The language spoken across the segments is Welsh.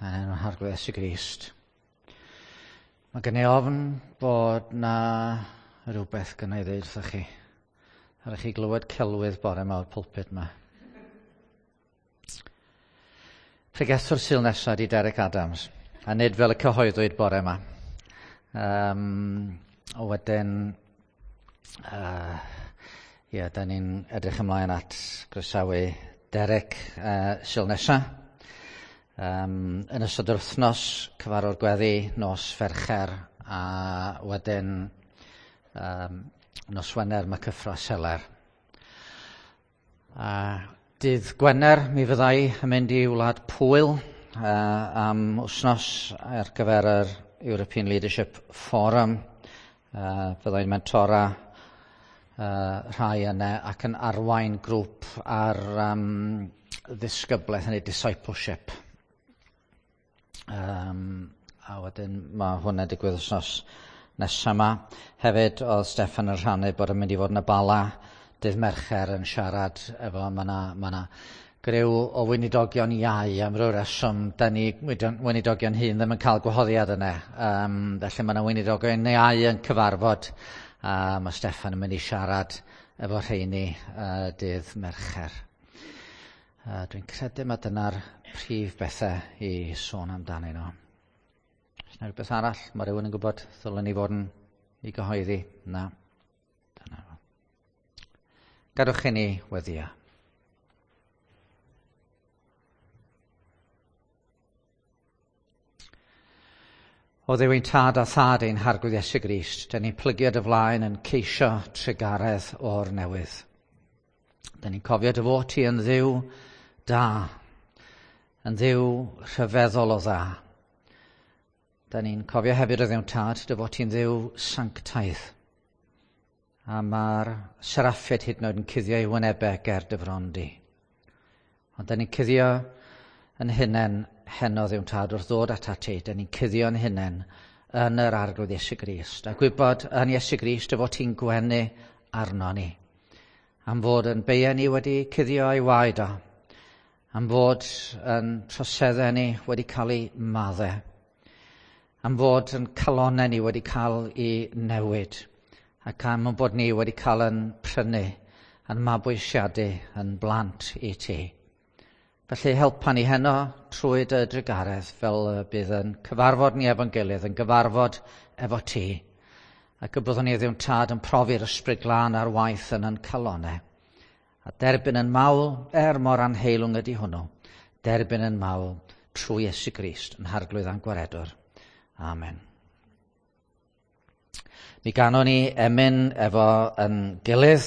Yn enw'n Harglwydd Iesu Grist. Mae gen i ofn bod na rhywbeth gynna i ddeud wrthych chi. Ar chi glywed celwydd bore yma o'r pulpit yma. Pregethwr Sul nesaf di Derek Adams, a nid fel y cyhoeddwyd bore yma. Wedyn, ie, da ni'n edrych ymlaen at groesawu Derek Sul nesaf. Yn ystod yr wythnos, cyfarfod gweddi, nos Fercher, a wedyn nos Wener mae cyffro seler. A dydd Gwener mi fyddai yn mynd i Wlad Pwyl am wythnos ar gyfer yr European Leadership Forum. Fyddai'n mentora rhai yna ac yn arwain grŵp ar ddisgyblaeth neu discipleship. A wedyn mae hwnna'n digwydd wythnos nesaf yma. Hefyd oedd Steffan yn rhannu bod yn mynd i fod yn y Bala dydd Mercher yn siarad efo, mae 'na griw o weinidogion iau am ryw reswm, da ni weinidogion hŷn ddim yn cael gwahoddiad yna. Felly mae 'na weinidogion iau yn cyfarfod a mae Steffan yn mynd i siarad efo rheini dydd Mercher. Dwi'n credu mae dyna'r prif bethau i sôn amdanyn nhw. Oes 'na rhywbeth arall mae rhywun yn gwybod ddylen ni fod yn ei gyhoeddi? Na. Dyna fo. Gadwch i ni weddio. O Dduw ein tad a thad ein Harglwydd Iesu Grist, da ni'n plygio dy flaen yn ceisio trugaredd o'r newydd. Da ni'n cofio dy fod ti yn Dduw da, yn Dduw rhyfeddol o dda. Da ni'n cofio hefyd o Dduw tad dy fod ti'n Dduw sanctaidd. A mae'r seraffiaid hyd yn oed yn cuddio eu wynebau ger dy fron di. Ond da ni'n cuddio yn hunain heno Dduw tad wrth ddod atat ti. Da ni'n cuddio yn hunain yn yr Arglwydd Iesu Grist. A gwybod yn Iesu Grist dy fod ti'n gwenu arno ni. Am fod yn beiau ni wedi cuddio ei waed o. Am fod yn troseddau ni wedi cael eu maddau. Am fod yn calonnau ni wedi cael eu newid. Ac am bod ni wedi cael yn prynu, yn mabwysiadu, yn blant i ti. Felly helpa ni heno trwy dy drugaredd fel y bydd yn cyfarfod ni efo'n gilydd, yn gyfarfod efo ti. Ac y byddwn ni Dduw tad yn profi'r Ysbryd Glân ar waith yn ein calonnau. A derbyn yn mawl, mor anheilwng ydy hwnnw, derbyn yn mawl trwy Iesu Grist yn Harglwydd a'n Gwaredwr. Amen. Mi ganon ni emyn efo yn gilydd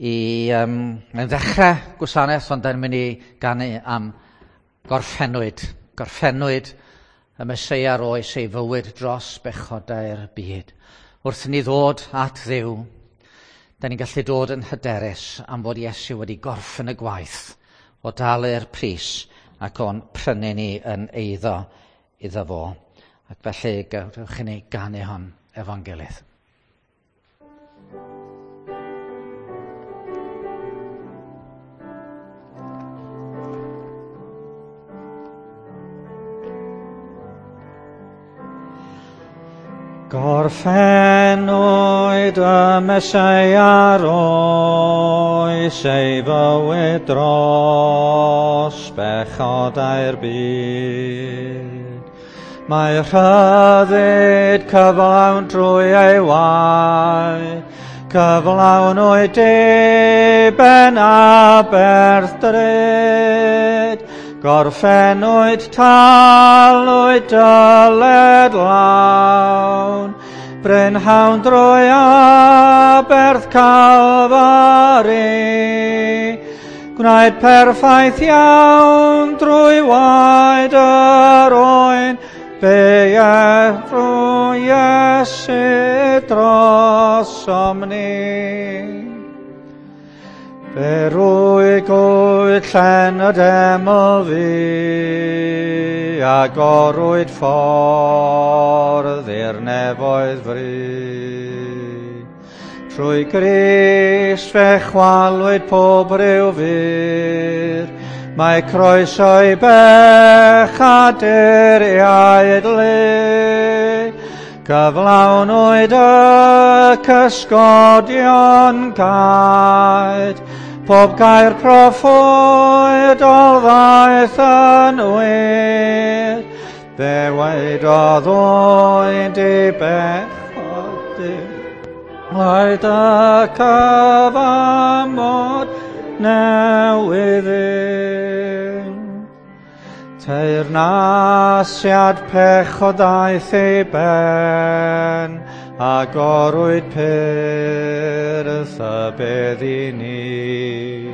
i yn ddechrau gwasanaeth, ond da'n mynd i ganu am gorffennwyd. Gorffennwyd y Meseia roes ei fywyd dros bechodau'r byd. Wrth ni ddod at Dduw, da ni'n gallu dod yn hyderus am fod Iesu wedi gorffen y gwaith o dalu'r pris ac o'n prynu ni yn eiddo iddo fo. Ac felly gadewch i ni ganu hon efo'n gilydd. Gorffennwyd y Meseia roes ei fywyd dros bechodau'r byd. Mae rhyddid cyflawn drwy ei waed, cyflawnwyd diben aberth drud. Gorffennwyd talwyd dyled lawn, brynhawn drwy aberth Calfari. Gwnaed perffaith iawn drwy waed yr oen, beia drwy Iesu drosom ni. Fe rwygwyd llen y deml ddu, agorwyd ffordd i'r nefoedd fry. Trwy Grist fe chwalwyd pob rhyw fur, Mae croeso i bechaduriaid lu, cyflawnwyd y cysgodion gaed, pob gair proffwydol ddaeth yn wir, fe wedodd oed i bechod Waed y cyfamod newydd Teyrnasiad pechod aeth ei ben, a gorwyd pyrth y bedd i ni.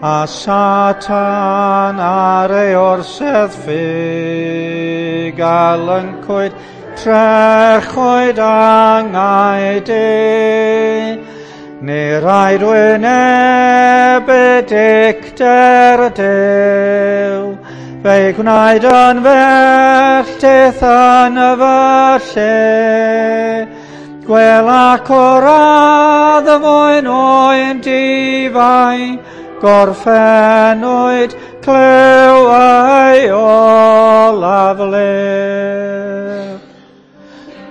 A Satan ar ei orsedd ffug, a lyncwyd trechwyd angau di. Ni raid wynebu dicter Duw, fe'i gwnaed yn felltith yn y fy lle. Gwel ac o'r add y mwyn oen difai, gorffennwyd clyw ei olaf le.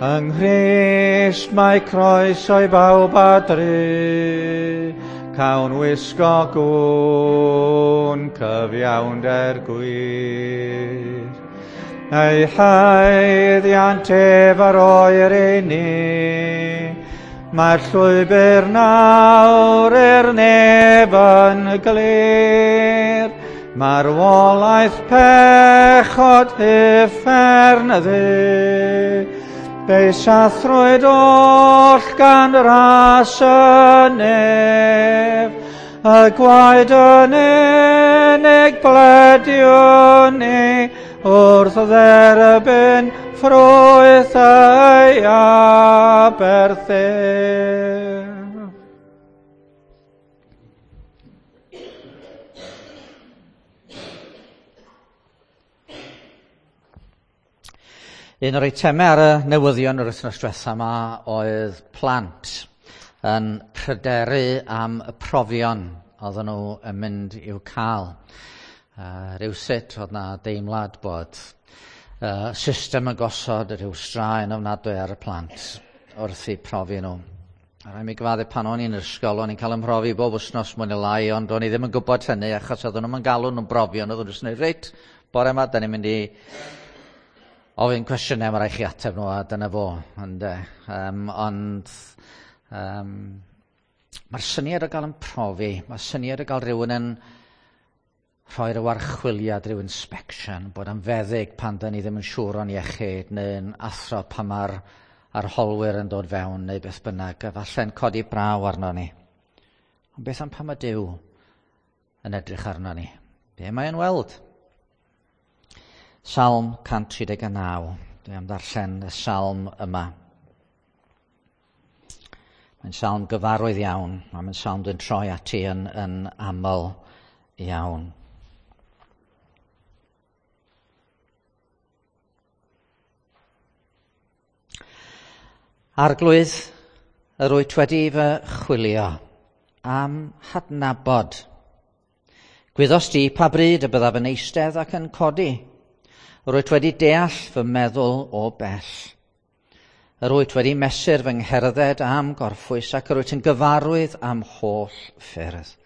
Yng Nghrist mae croeso i bawb a dru, cawn wisgo gwn cyfiawnder gwir. Ei haeddiant ef ar oer i ni, mae'r llwybr nawr i'r neb yn glir. Marwolaeth pechod uffern ddu, fe'i sathrwyd oll gan ras y nef, y gwaed yn unig blediwn ni wrth dderbyn ffrwyth ei aberth ef. Un o'r eitemau ar y newyddion yr wythnos diwetha yma oedd plant yn pryderu am y profion oedden nhw yn mynd i'w cael. Rywsut oedd na deimlad bod system yn gosod rhyw straen ofnadwy ar y plant wrth eu profi nhw. A rhaid mi gyfadde pan o'n i'n ysgol, o'n i'n cael ymhrofi bob wythnos mwy neu lai, ond o'n i ddim yn gwybod hynny achos oedden nhw'n galw nhw'n brofion, oedden nhw'n dweud, reit, bore yma, da ni'n mynd i ofyn cwestiynau, mae rhaid chi ateb nhw, a dyna fo. Ond mae'r syniad o gael yn profi, mae'r syniad o gael rhywun yn rhoi rhyw archwiliad, rhyw inspection, bod yn feddyg pan da ni ddim yn siŵr o'n iechyd, neu'n athro pan mae'r arholwyr yn dod fewn, neu beth bynnag, a falle'n codi braw arno ni. Ond beth am pan mae Duw yn edrych arno ni? Be mae'n weld? Salm 139. Dwi am ddarllen y salm yma. Mae'n salm gyfarwydd iawn, a mae'n salm dwi'n troi ati yn aml iawn. Arglwydd, yr wyt wedi fy chwilio am hadnabod. Gwyddost di pa bryd y byddaf yn eistedd ac yn codi. Yr wyt wedi deall fy meddwl o bell. Yr wyt wedi mesur fy ngherdded am gorffwys ac yr wyt yn gyfarwydd am holl ffyrdd.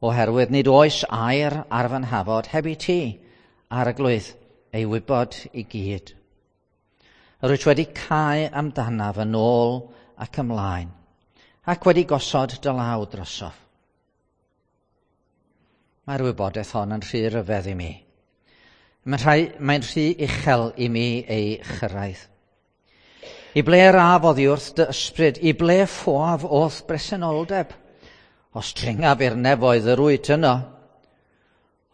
Oherwydd nid oes air ar fy nhafod heb i ti, Arglwydd, ei wybod i gyd. Yr wyt wedi cau amdanaf yn ôl ac ymlaen, ac wedi gosod dy law drosof. Mae'r wybodaeth hon yn rhy ryfedd i mi. Mae'n rhy uchel i mi ei chyrraedd. I ble yr af oddi wrth dy ysbryd, i ble ffoaf o'th bresenoldeb? Os dringaf i'r nefoedd yr wyt yno,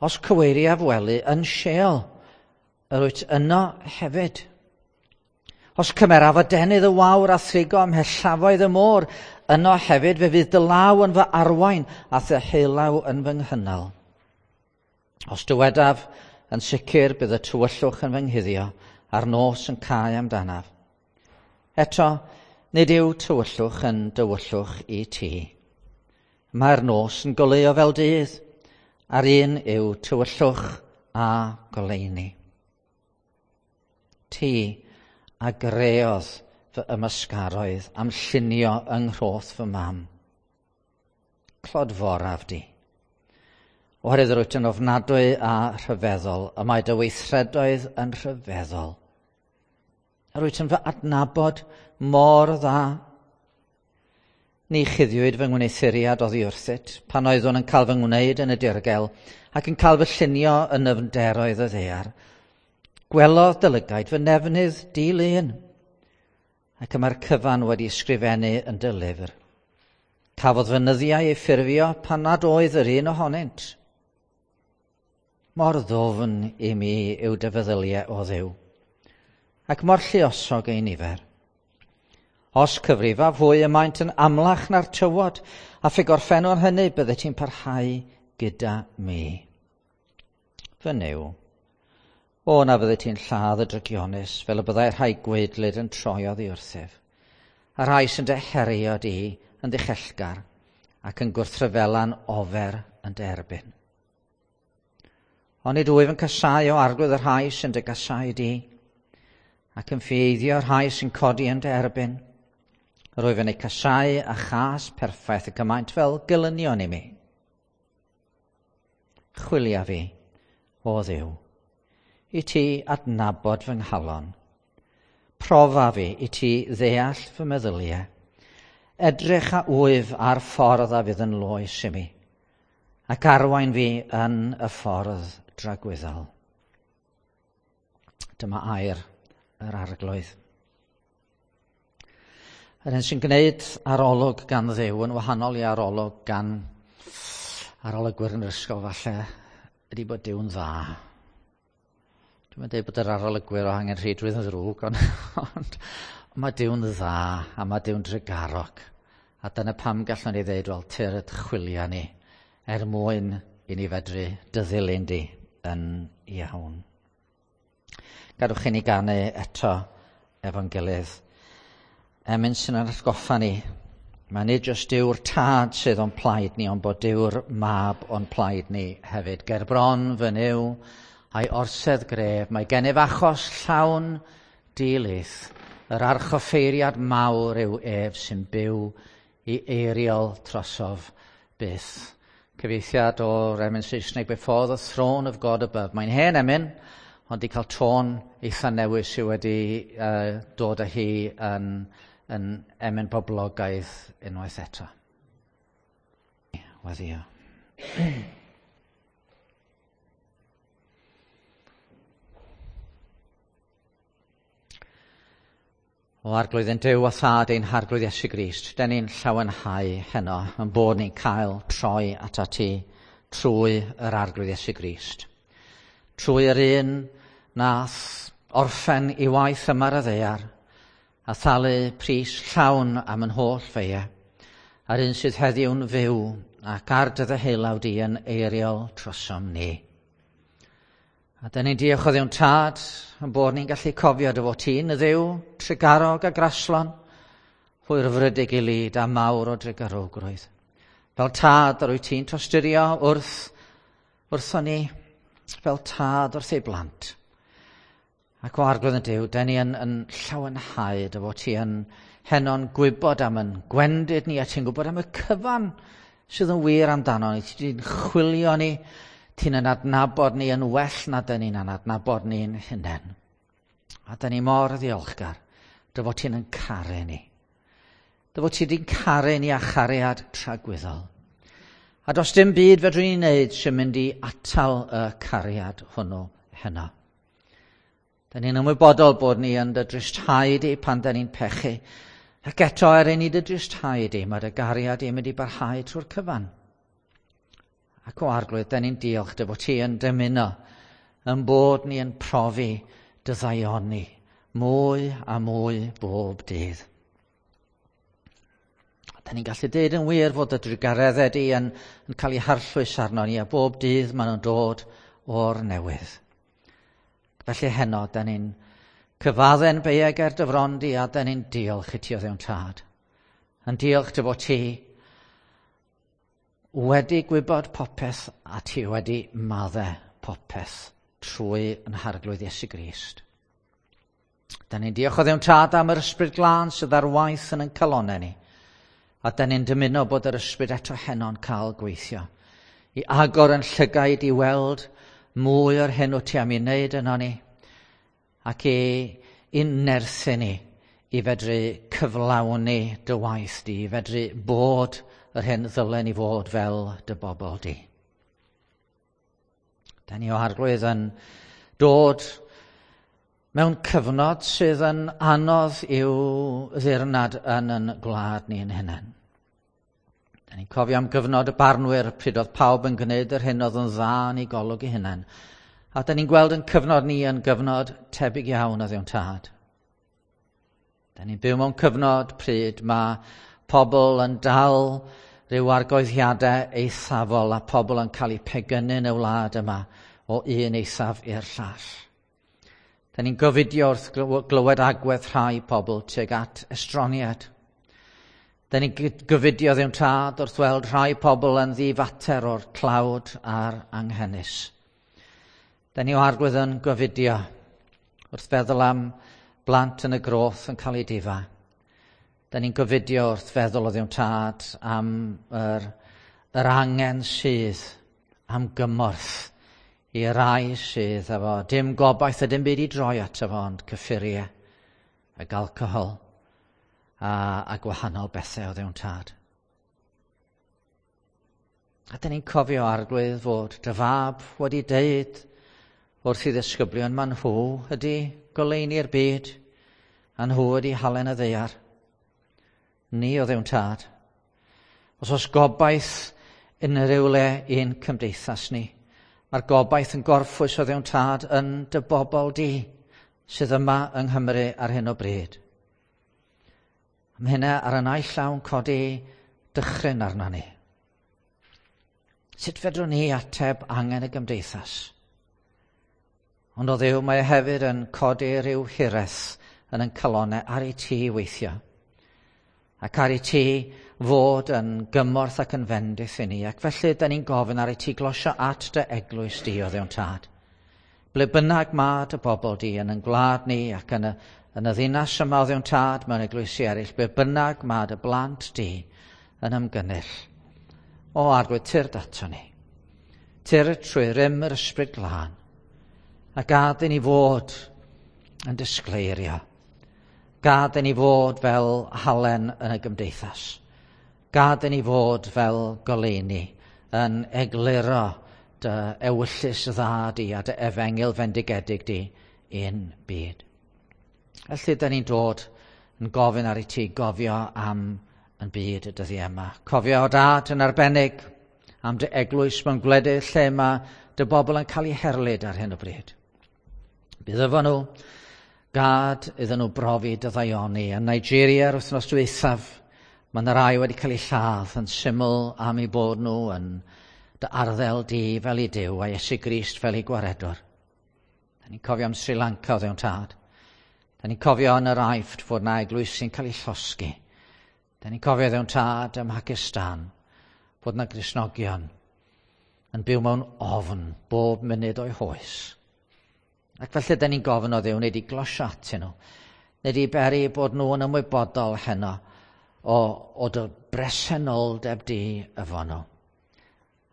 os cyweiriaf wely yn Sheol, yr wyt yno hefyd. Os cymeraf adenydd y wawr a thrigo ymhellafoedd y môr, yno hefyd fe fydd dy law yn fy arwain a thy heilaw yn fy nghynnal. Os dywedaf, yn sicr bydd y tywyllwch yn fy nghuddio a'r nos yn cau amdanaf. Eto, nid yw tywyllwch yn dywyllwch i ti. Mae'r nos yn goleuo fel dydd, A'r un yw tywyllwch a goleuni. Ti a greodd fy ymysgaroedd am llunio yng nghroth fy mam. Clodforaf di. Oherwydd yr wyt yn ofnadwy a rhyfeddol, y mae dy weithredoedd yn rhyfeddol. Yr wyt yn fy adnabod mor dda. Ni chuddiwyd fy ngwneuthuriad oddi wrthyt, pan oeddwn yn cael fy ngwneud yn y dirgel ac yn cael fy llunio yn nyfnderoedd y ddaear. Gwelodd dy lygaid fy nefnydd di-lun, ac y mae'r cyfan wedi ysgrifennu yn dy lyfr. Cafodd fy nyddiau eu ffurfio pan nad oedd yr un ohonynt. Mor ddwfn i mi yw dy feddyliau o Dduw, ac mor lluosog eu nifer. Os cyfrifaf hwy y maent yn amlach na'r tywod, a phe gorffennwn hynny byddet ti'n parhau gyda mi. Fy Nuw, o na fyddet ti'n lladd y drygionus, fel y byddai rhai gwaedlyd yn troi oddi wrthyf, a rhai sy'n dy herio di yn ddichellgar ac yn gwrthryfela'n ofer yn dy erbyn. Onid wyf yn casáu o Arglwydd y rhai sy'n dy gasáu di, ac yn ffieiddio rhai sy'n codi yn dy erbyn. Rwyf yn eu casáu a chas perffaith y cymaint fel gelynion i mi. Chwilia fi, o Dduw, i ti adnabod fy nghalon. Profa fi i ti ddeall fy meddyliau. Edrych a wyf ar ffordd a fydd yn loes i mi, ac arwain fi yn y ffordd dragwyddol. Dyma air yr Arglwydd. Yr hyn sy'n gwneud arolwg gan Dduw yn wahanol i arolwg gan arolygwyr yn yr ysgol falle ydy bod Duw'n dda. Dwi'm yn dweud bod yr arolygwyr o angenrheidrwydd yn ddrwg, ond, ond mae Duw'n dda a mae Duw'n drugarog. A dyna pam gallwn ni ddeud, wel, tyrd chwilia ni, er mwyn i ni fedru dy ddilyn di yn iawn. Gadwch i ni ganu eto efo'n gilydd. Emyn sy'n ein atgoffa ni, mae nid jyst Duw'r Tad sydd o'n plaid ni, ond bod Duw'r Mab o'n plaid ni hefyd. Ger bron fy Nuw a'i orsedd gref, mae gennyf achos llawn dilith. Yr archoffeiriad mawr yw ef sy'n byw i eiriol trosof byth. Cyfieithiad o'r emyn Saesneg, Before the Throne of God Above. Mae'n hen emyn, ond di cael tôn eitha newydd sydd wedi dod â hi yn emyn poblogaidd unwaith eto. Weddïo. O Arglwydd ein Duw a Thad ein Harglwydd Iesu Grist, den ni'n llawenhau heno yn bod ni'n cael troi atat ti trwy yr Arglwydd Iesu Grist. Trwy yr un nath orffen i waith yma ar y ddaear a thalu pris llawn am yn holl feie, a'r un sydd heddiw'n fyw ac ar dy ddeheulaw di yn eiriol trosom ni. A dyn ni'n diolch o Dduw'n Tad yn bod ni'n gallu cofio dy fod ti'n y Dduw trugarog a graslon, hwyrfrydig i lid a mawr o drugarogrwydd. Fel tad yr wyt ti'n tosturio wrthon ni, fel tad wrth ei blant. Ac o Arglwydd yn Duw, dyn ni yn llawenhau dy fod ti yn heno'n gwybod am yn gwendid ni, a ti'n gwybod am y cyfan sydd yn wir amdano ni. Ti'n chwilio ni, ti'n yn adnabod ni yn well na dyn ni'n adnabod ni'n hunain. A dyn ni mor ddiolchgar dy fod ti'n yn caru ni. Dy fod ti wedi'n caru ni â chariad tragwyddol. A does dim byd fedrwn ni wneud sy'n mynd i atal y cariad hwnnw heno. Dyn ni'n ymwybodol bod ni yn dy dristhau di pan dyn ni'n pechu. Ac eto er i ni dy dristhau di, mae dy gariad i'n mynd i barhau trwy'r cyfan. Ac o Arglwydd, dyn ni'n diolch dy fod ti yn dymuno yn bod ni yn profi dy ddaioni mwy a mwy bob dydd. Dyn ni'n gallu deud yn wir fod y drugareddau di yn cael ei harllwys arno ni, a bob dydd maen nhw'n dod o'r newydd. Felly heno, dyn ni'n cyfadde'n beiau ger dy fron di, a dyn ni'n diolch i ti o Dduw'n Tad. Yn diolch dy fod ti wedi gwybod popeth a ti wedi maddau popeth trwy yn Harglwydd Iesu Grist. Da ni'n diolch o Dduw'n Tad am yr Ysbryd Glân sydd ar waith yn ein calonnau ni. A da ni'n dymuno bod yr Ysbryd eto heno'n cael gweithio. I agor yn llygaid i weld mwy o'r hyn wyt ti am ei wneud yno ni. Ac i nerthu ni i fedru cyflawni dy waith di, i fedru bod yr hyn ddylen ni fod fel dy bobl di. Da ni o Arglwydd yn dod mewn cyfnod sydd yn anodd i'w ddirnad yn yn gwlad ni yn hunain. Da ni'n cofio am gyfnod y barnwyr pryd oedd pawb yn gwneud yr hyn oedd yn dda yn ei golwg ei hunain. A da ni'n gweld yn cyfnod ni yn gyfnod tebyg iawn o Dduw'n Tad. Da ni'n byw mewn cyfnod pryd mae pobl yn dal rhyw argoeddiadau eithafol a pobl yn cael eu pegynu yn y wlad yma o un eithaf i'r llall. Da ni'n gofidio wrth glywed agwedd rhai pobl tuag at estroniad. Da ni'n gofidio Dduw'n Tad wrth weld rhai pobl yn ddifater o'r tlawd a'r anghenus. Da ni o Arglwydd yn gofidio wrth feddwl am blant yn y groth yn cael eu difa. Da ni'n gofidio wrth feddwl o Dduw'n Tad am yr angen sydd am gymorth i rai sydd efo dim gobaith a dim byd i droi ato fo ond cyffuriau ac alcohol a gwahanol bethau o Dduw'n Tad. A dyn ni'n cofio, Arglwydd, fod dy fab wedi deud wrth i ddisgyblion, ma nhw ydy goleuni'r byd, a nhw ydy halen y ddaear. Ni o Dduw'n Tad. Os oes gobaith unrhyw le i'n cymdeithas ni, mae'r gobaith yn gorffwys o Dduw'n Tad yn dy bobl di sydd yma yng Nghymru ar hyn o bryd. Am hynna ar y naill llaw yn codi dychryn arno ni. Sut fedrwn ni ateb angen y gymdeithas? Ond o Dduw, mae e hefyd yn codi rhyw hiraeth yn ein calonnau ar i ti weithio. Ac ar i ti fod yn gymorth ac yn fendith i ni. Ac felly, da ni'n gofyn ar i ti glosio at dy eglwys di o Dduw'n Tad. Ble bynnag mae dy bobl di yn ein gwlad ni ac yn y ddinas yma o Dduw'n Tad mewn eglwysi eraill, ble bynnag mae dy blant di yn ymgynnull. O Arglwydd, tyrd ato ni. Tyrd trwy rym yr Ysbryd Glân. A gad i ni fod yn disgleirio. Gad i ni fod fel halen yn y gymdeithas. Gad i ni fod fel goleuni yn egluro dy ewyllys dda di a dy efengyl fendigedig di i'n byd. Felly, da ni'n dod yn gofyn ar i ti gofio am yn byd y dyddiau yma. Cofio o Dad yn arbennig am dy eglwys mewn gwledydd lle mae dy bobl yn cael eu herlid ar hyn o bryd. Bydd efo nhw, gad iddyn nhw brofi dy ddaioni. Yn Nigeria yr wythnos dwythaf, mae yna rai wedi cael eu lladd yn syml am eu bod nhw yn dy arddel di fel i Duw a Iesu Grist fel i gwaredwr. Da ni'n cofio am Sri Lanka o Dduw'n Tad. Da ni'n cofio yn yr Aifft fod na eglwysi'n cael eu llosgi. Da ni'n cofio Dduw'n Tad ym Mhacistan fod na Gristnogion yn byw mewn ofn bob munud o'i hoes. Ac felly da ni'n gofyn o Dduw, nid i glosio atyn nhw, nid i beri bod nhw yn ymwybodol heno o dy bresenoldeb di efo nhw.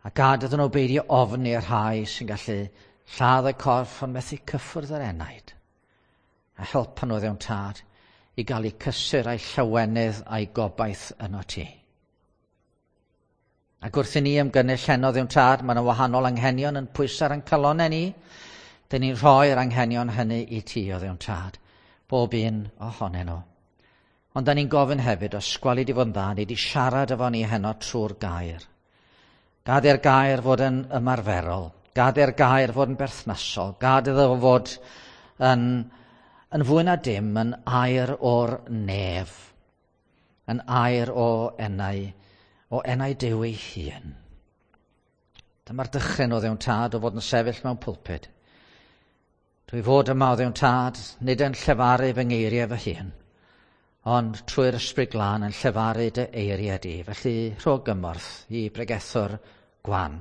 A gad iddyn nhw beidio ofni i'r rhai sy'n gallu lladd y corff ond methu cyffwrdd yr enaid. A helpa nhw Dduw'n Tad i gael eu cysur a'i llawenydd a'i gobaith yno ti. Ac wrth i ni ymgynnull heno Dduw'n Tad, mae yna wahanol anghenion yn pwyso ar ein calonnau ni. Dyn ni'n rhoi'r anghenion hynny i ti o Dduw'n Tad, bob un ohonyn nhw. Ond da ni'n gofyn hefyd, os gweli di fod yn dda, ni di siarad efo ni heno trwy'r gair. Gad i'r gair fod yn ymarferol, gad i'r gair fod yn berthnasol, gad iddo fod yn fwy na dim yn air o'r nef, yn air o enau Duw ei hun. Dyma'r dychryn o Dduw'n Tad o fod yn sefyll mewn pulpud. Dwi fod yma o Dduw'n Tad, nid yn llefaru fy ngeiriau fy hun, Ond trwy'r Ysbryd Glân yn llefaru dy eiriau di. Felly rho gymorth i bregethwr gwan.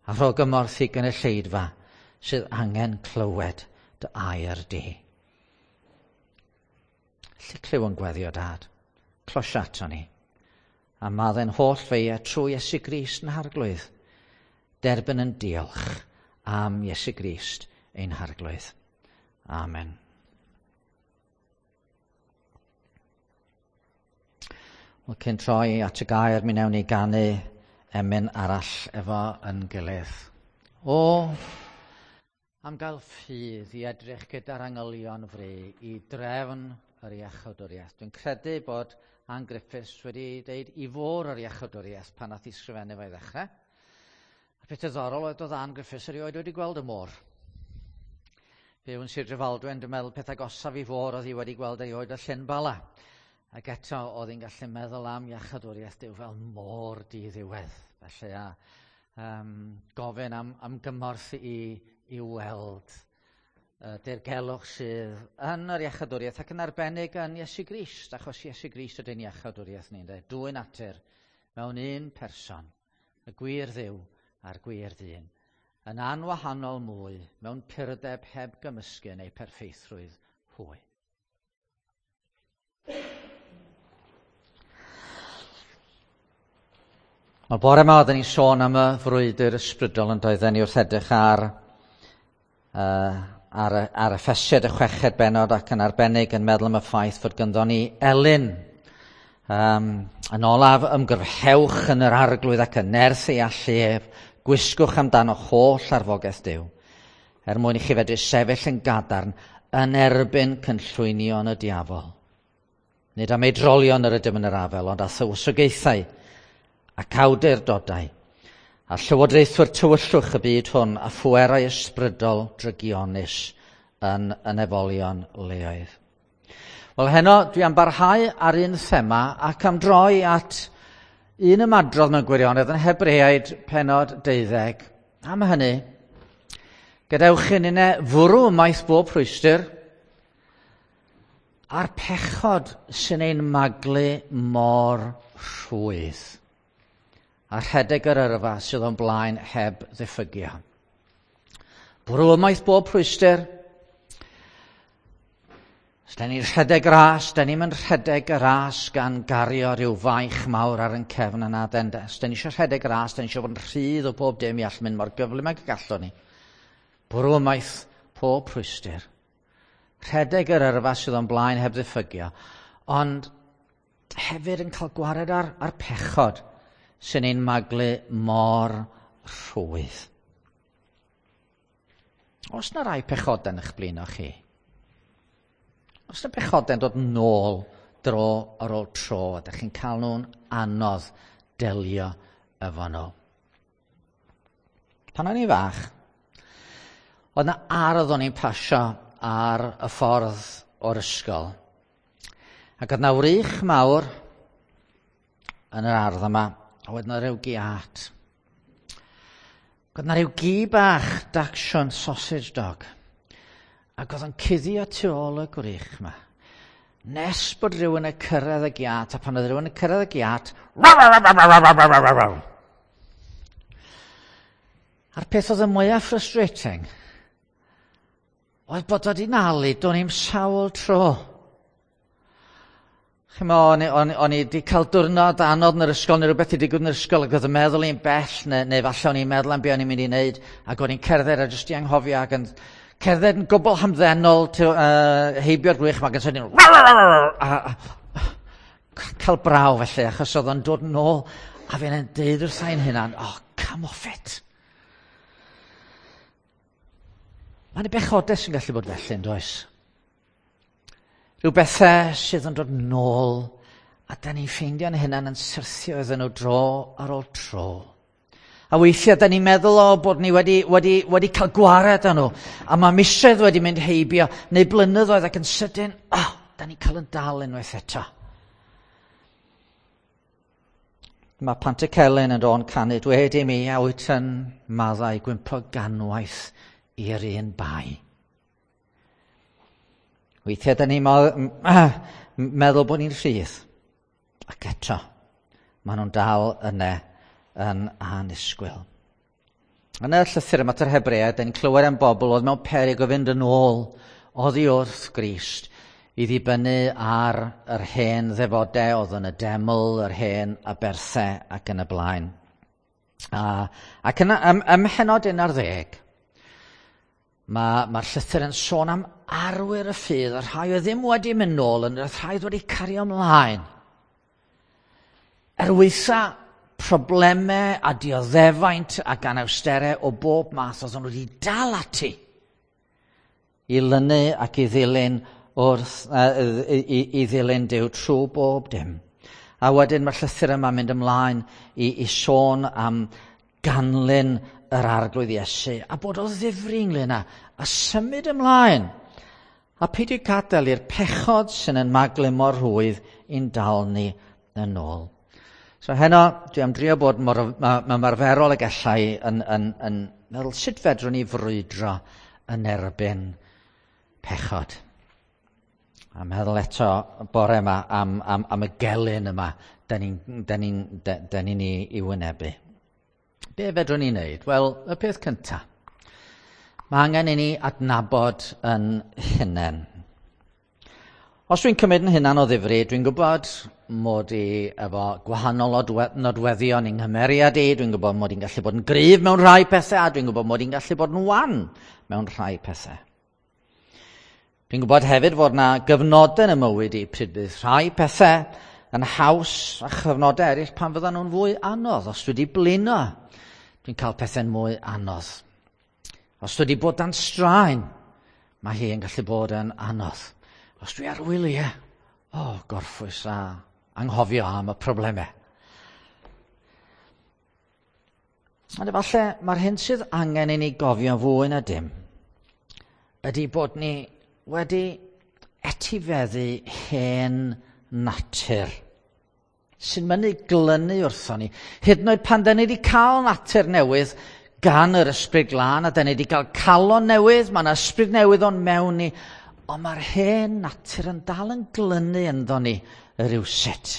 A rho gymorth i gynulleidfa sydd angen clywed dy air di. Felly clyw yn gweddio, Dad. Closia ato ni. A maddau'n holl feia trwy Iesu Grist yn Harglwydd. Derbyn yn diolch am Iesu Grist ein Harglwydd. Amen. Wel, cyn troi at y gair, mi wnawn ni ganu emyn arall efo yn gilydd. O, am gael ffydd i edrych gyda'r angylion fri i drefn yr iachawdwriaeth. Dwi'n credu bod Ann Griffiths wedi deud i fôr yr iachawdwriaeth pan nath i sgrifennu fe i ddechrau. A peth diddorol oedd doedd Ann Griffiths erioed wedi gweld y môr. Byw yn Sir Drefaldwyn, dwi'n meddwl peth agosaf i fôr oedd hi wedi gweld erioed y Llyn Bala. Ac eto oedd hi'n gallu meddwl am iachawdwriaeth Duw fel môr di-ddiwedd. Felly a gofyn am gymorth i weld dirgelwch sydd yn yr iachawdwriaeth ac yn arbennig yn Iesu Grist, achos Iesu Grist ydy'n iachawdwriaeth ni, ynde? Dwy natur mewn un person, y gwir Dduw a'r gwir ddyn, yn anwahanol mwy mewn purdeb heb gymysgu yn eu perffeithrwydd hwy. Wel, bore yma oedden ni'n sôn am y frwydr ysbrydol yn doedden ni wrth edrych ar Effesiaid y chweched bennod ac yn arbennig yn meddwl am y ffaith fod ganddo ni elyn. Yn olaf, ymgyrhewch yn yr Arglwydd ac yn nerth ei allu ef, gwisgwch amdano holl arfogaeth Duw, er mwyn i chi fedru sefyll yn gadarn yn erbyn cynllwynion y diafol. Nid am ei drolion yr ydym yn yr afel, ond â thywysogaethau ac awdurdodau, a llywodraethwyr tywyllwch y byd hwn a phwerau ysbrydol drygionus yn y nefolion leoedd. Wel, heno dwi am barhau ar un thema ac am droi at un ymadrodd mewn gwirionedd yn Hebreaid pennod 12. Am hynny, gadewch i ninne fwrw ymaith bob rhwystr a'r pechod sy'n ein maglu mor rhwydd, a rhedeg yr yrfa sydd o'n blaen heb ddiffygio. Bwrw ymaith bob rhwystr. Os da ni'n rhedeg ras, da ni'n mynd rhedeg y ras gan gario rhyw faich mawr ar ein cefn yna. Os da ni eisiau rhedeg ras, da ni eisiau bod yn rhydd o bob dim i all mynd mor gyflym ag y gallwn ni. Bwrw ymaith pob rhwystr. Rhedeg yr yrfa sydd o'n blaen heb ddiffygio, ond hefyd yn cael gwared ar pechod sy'n ein maglu mor rhwydd. Oes na rai pechodau yn eich blino chi? Oes na pechodau'n dod nôl dro ar ôl tro, a ydych chi'n cael nhw'n anodd delio efo nhw? Pan o'n i'n fach, oedd na ardd o'n i'n pasio ar y ffordd o'r ysgol. Ac oedd na wrych mawr yn yr ardd yma, a oedd na ryw giât. Ac oedd na ryw gi bach, Dachshund sausage dog. Ac oedd o'n cuddio tu ôl y gwrych yma. Nes bod rhywun yn cyrraedd y giât, a pan oedd rhywun yn cyrraedd y giât, raw. A'r peth oedd y mwyaf frustrating oedd bod o 'di nalu, do'n i'm sawl tro. Chimo, o'n i wedi cael diwrnod anodd yn yr ysgol, neu rhywbeth wedi digwydd yn yr ysgol, ac oedd y meddwl i'n bell, neu falle o'n i'n meddwl am be o'n i'n mynd i wneud, ac o'n i'n cerdded a jyst i anghofio, ac yn cerdded yn gwbl hamddenol, heibio'r gwrych, ac yn sydyn, a cael braw felly, achos oedd o'n dod nôl, a fi'n deud wrtha i'n hunan, oh, come off it. Mae'n bechodau sy'n gallu bod felly, yn does? Rhyw bethau sydd yn dod nôl, a da ni'n ffeindio'n hunan yn syrthio iddyn nhw dro ar ôl tro. A weithiau da ni'n meddwl o bod ni wedi cael gwared â nhw, a mae misoedd wedi mynd heibio, neu blynyddoedd, ac yn sydyn, da ni'n cael yn dal unwaith eto. Mae Pantycelyn yn dod canu, dwed i mi, a wyt yn maddau gwympo ganwaith i'r un bai. Weithiau da ni'n meddwl bod ni'n rhydd. Ac eto, maen nhw'n dal yna yn annisgwyl. Yn y llythyr yma at yr Hebreaid, ni'n clywed am bobl oedd mewn peryg o fynd yn ôl oddi wrth Grist i ddibynnu ar yr hen ddefodau oedd yn y deml, yr hen aberthau ac yn y blaen. Ac yna, ym mhennod 11, mae'r llythyr yn sôn am arwyr y ffydd, y rhai oedd ddim wedi mynd nôl, yn y rhai oedd wedi cario ymlaen. Er waetha problemau a dioddefaint ac anawsterau o bob math, oedd nhw wedi dal ati i lynu ac i ddilyn wrth, i ddilyn Duw trwy bob dim. A wedyn mae'r llythyr yma'n mynd ymlaen i sôn am ganlyn yr Arglwydd Iesu a bod o ddifri ynglyn â a symud ymlaen. A peidio gadael i'r pechod sy'n yn maglu mor rhwydd i'n dal ni yn ôl. So heno, dwi am drio bod mor ymarferol y gallai yn meddwl sut fedrwn ni frwydro yn erbyn pechod. A meddwl eto bore yma am y gelyn yma da ni'n ei wynebu. Be fedrwn ni wneud? Wel, y peth cyntaf. Mae angen i ni adnabod yn hunain. Os dwi'n cymryd yn hunan o ddifri, dwi'n gwybod mod i efo gwahanol nodweddion i'n nghymeriad i, dwi'n gwybod mod i'n gallu bod yn gryf mewn rhai pethau, a dwi'n gwybod mod i'n gallu bod yn wan mewn rhai pethau. Dwi'n gwybod hefyd fod na gyfnodau yn y mywyd i pryd bydd rhai pethau yn haws a chyfnodau eraill pan fyddan nhw'n fwy anodd. Os dwi wedi blino, dwi'n cael pethau'n mwy anodd. Os dwi wedi bod dan straen, mae hi yn gallu bod yn anodd. Os dwi ar wyliau, gorffwys a anghofio am y problemau. Ond efallai mae'r hyn sydd angen i ni gofio fwy na dim ydy bod ni wedi etifeddu hen natur sy'n mynnu glynu wrthon ni. Hyd yn oed pan da ni wedi cael natur newydd gan yr Ysbryd Glân a da ni wedi cael calon newydd, mae yna ysbryd newydd o'n mewn ni, ond mae'r hen natur yn dal yn glynu ynddo ni rywsut.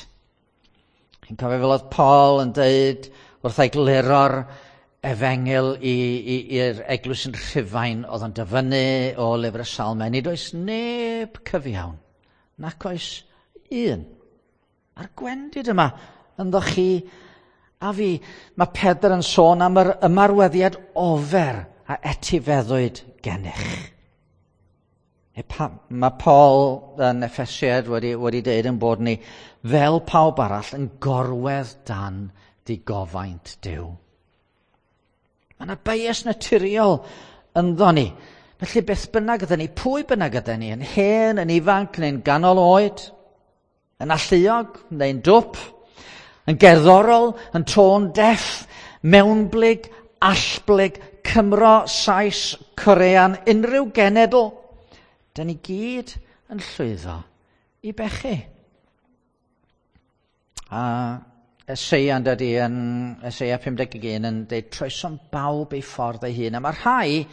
Chi'n cofio fel oedd Paul yn dweud wrth egluro'r efengyl i'r eglwys yn Rhufain oedd yn dyfynnu o lyfr y Salmau. Nid oes neb cyfiawn, nac oes un. A'r gwendid yma ynddo chi a fi. Mae Pedr yn sôn am yr ymarweddiad ofer a etifeddwyd gennych. Mae Paul yn Effesiaid wedi dweud yn bod ni fel pawb arall yn gorwedd dan digofaint Duw. Mae yna bias naturiol ynddo ni. Felly beth bynnag ydyn ni, pwy bynnag ydyn ni, yn hen, yn ifanc, neu'n ganol oed, yn alluog, neu'n dwp, yn gerddorol, yn tone deaf, mewnblyg, allblyg, Cymro, Sais, Corean, unrhyw genedl, dyn ni gyd yn llwyddo i bechu. A Eseia yn dydi, yn Eseia 51 yn dweud troesom bawb ei ffordd ei hun. A mae rhai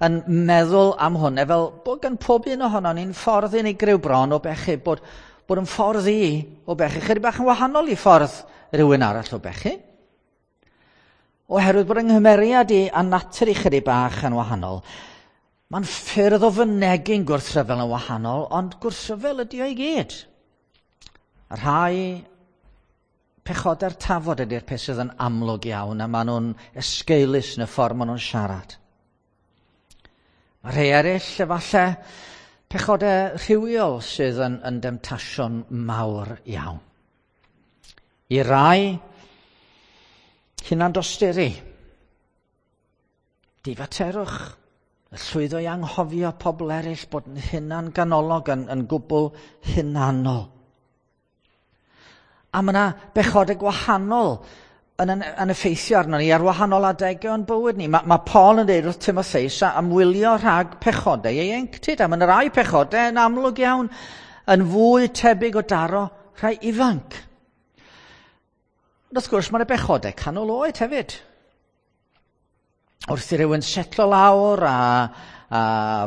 yn meddwl am hwn, fel bod gan pob un ohonon ni'n ffordd unigryw bron o bechu, bod yn ffordd i o bechu, chydig bach yn wahanol i ffordd rhywun arall o bechu. Oherwydd bod yng nghymeriad i a natur i chydig bach yn wahanol, mae'n ffyrdd o fynegi'n gwrthryfel yn wahanol, ond gwrthryfel ydy o i gyd. A rhai pechodau'r tafod ydy'r peth sydd yn amlwg iawn, a maen nhw'n esgeulus yn y ffordd maen nhw'n siarad. Mae rhai eraill, efallai, pechodau rhywiol sydd yn demtasiwn mawr iawn. I rai, hunandosturi, difaterwch, y llwyddo i anghofio pobl eraill bod yn hunan ganolog, yn gwbl hunanol. A mae yna bechodau gwahanol yn effeithio arno ni ar wahanol adegau o'n bywyd ni. Mae Paul yn dweud wrth Timotheus am wylio rhag pechodau ieuenctid. A mae yna rai pechodau yn amlwg iawn yn fwy tebyg o daro rhai ifanc. Ond wrth gwrs mae yna bechodau canol oed hefyd. Wrth i rywun setlo lawr a a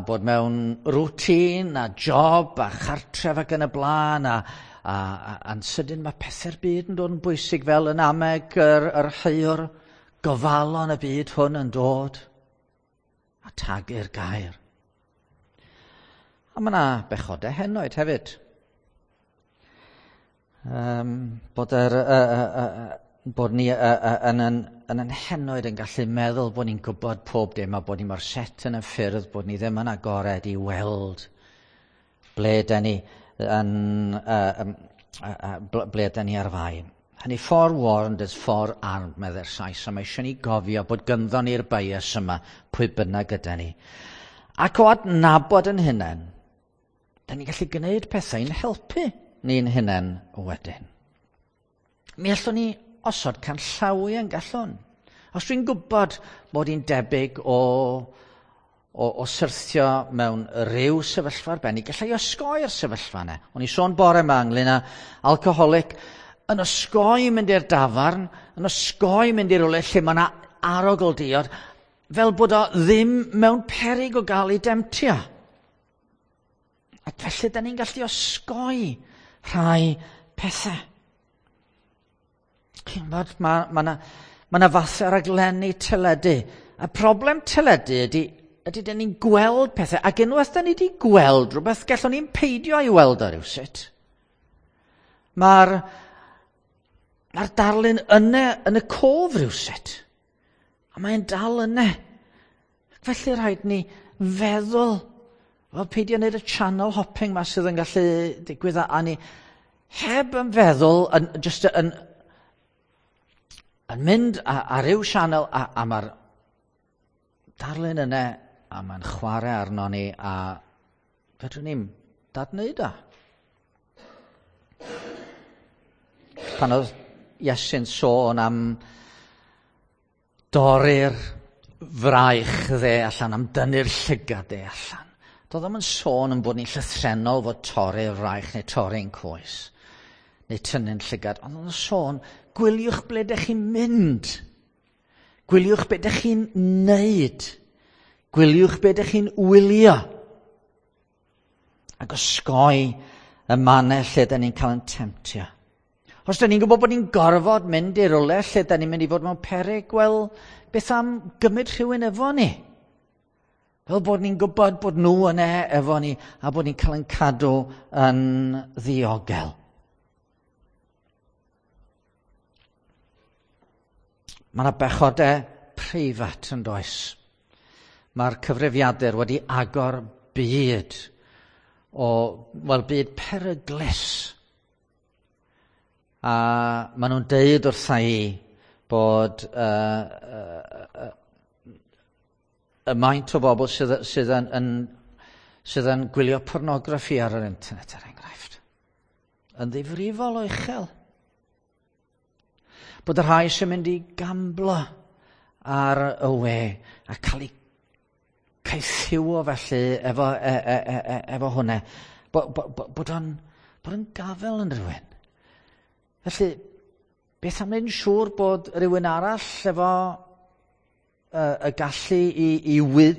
bod mewn rwtîn a job a chartref ac yn y blaen a, a'n sydyn mae pethau'r byd yn dod yn bwysig fel yn ameg yr heiwr, gofalon y byd hwn yn dod a tagu'r gair. A mae yna bechodau henoed hefyd. Bod, yr, bod ni yn henoed yn gallu meddwl bod ni'n gwybod pob dim a bod ni mor set yn y ffyrdd, bod ni ddim yn agored i weld ble da ni yn, ble da ni ar fai. Hynny, "Forewarned is forearmed," medde'r Sais, a mae eisiau ni gofio bod gynddo ni'r bias yma, pwy bynnag gyda ni. Ac o adnabod yn hunain, da ni'n gallu gwneud pethau i'n helpu ni'n hunain wedyn. Mi allwn ni osod canllawiau yn gallwn. Os dwi'n gwybod bod i'n debyg o syrthio mewn rhyw sefyllfa arbennig, gallai osgoi'r sefyllfa yna. O'n i sôn bore yma ynglyn â alcoholic yn osgoi mynd i'r dafarn, yn osgoi mynd i rywle lle mae yna arogl diod, fel bod o ddim mewn perig o gael ei demtio. Ac felly, da ni'n gallu osgoi rhai pethau. Chi'n gwybod, mae 'na fathau raglenni teledu. A problem teledu ydy dyn ni'n gweld pethau, ac unwaith da ni wedi gweld rhywbeth, gallwn ni'n peidio i weld o rywsut. Mae'r darlun yna yn y cof rhywsut. A mae'n dal yna. Ac felly rhaid ni feddwl, wel, peidio wneud y channel hopping ma sydd yn gallu digwydd a ni heb yn feddwl, yn, just yn mynd ar ryw sianel a mae'r darlun yna a mae'n chwarae arno ni a fedrwn ni'n dadwneud o. Pan oedd Iesu'n sôn am dorri'r fraich dde allan, am dynnu'r llygad dde allan. Doedd o'm yn sôn yn bod ni'n llythrennol fod torri'r fraich neu torri'n coes, neu tynnu'n llygad, ond oedd o'n sôn, gwyliwch ble ydych chi'n mynd. Gwyliwch be ydych chi'n neud. Gwyliwch be ydych chi'n wylio. Ac osgoi y mannau lle ydyn ni'n cael yn temtio. Os da ni'n gwybod bod ni'n gorfod mynd i rywle lle da ni'n mynd i fod mewn peryg, wel, beth am gymryd rhywun efo ni? Fel bod ni'n gwybod bod nhw yna efo ni a bod ni'n cael yn cadw yn ddiogel. Mae yna bechodau preifat yn does. Mae'r cyfrifiadur wedi agor byd o, wel, byd peryglus. A maen nhw'n deud wrtha i bod y maint o bobl sydd yn gwylio pornograffi ar yr internet, er enghraifft, yn ddifrifol o uchel. Bod y rhai sy'n mynd i gamblo ar y we a cael eu caethiwo felly efo hwnna, bod o'n gafel yn rhywun. Felly, beth am wneud yn siŵr bod rhywun arall efo y gallu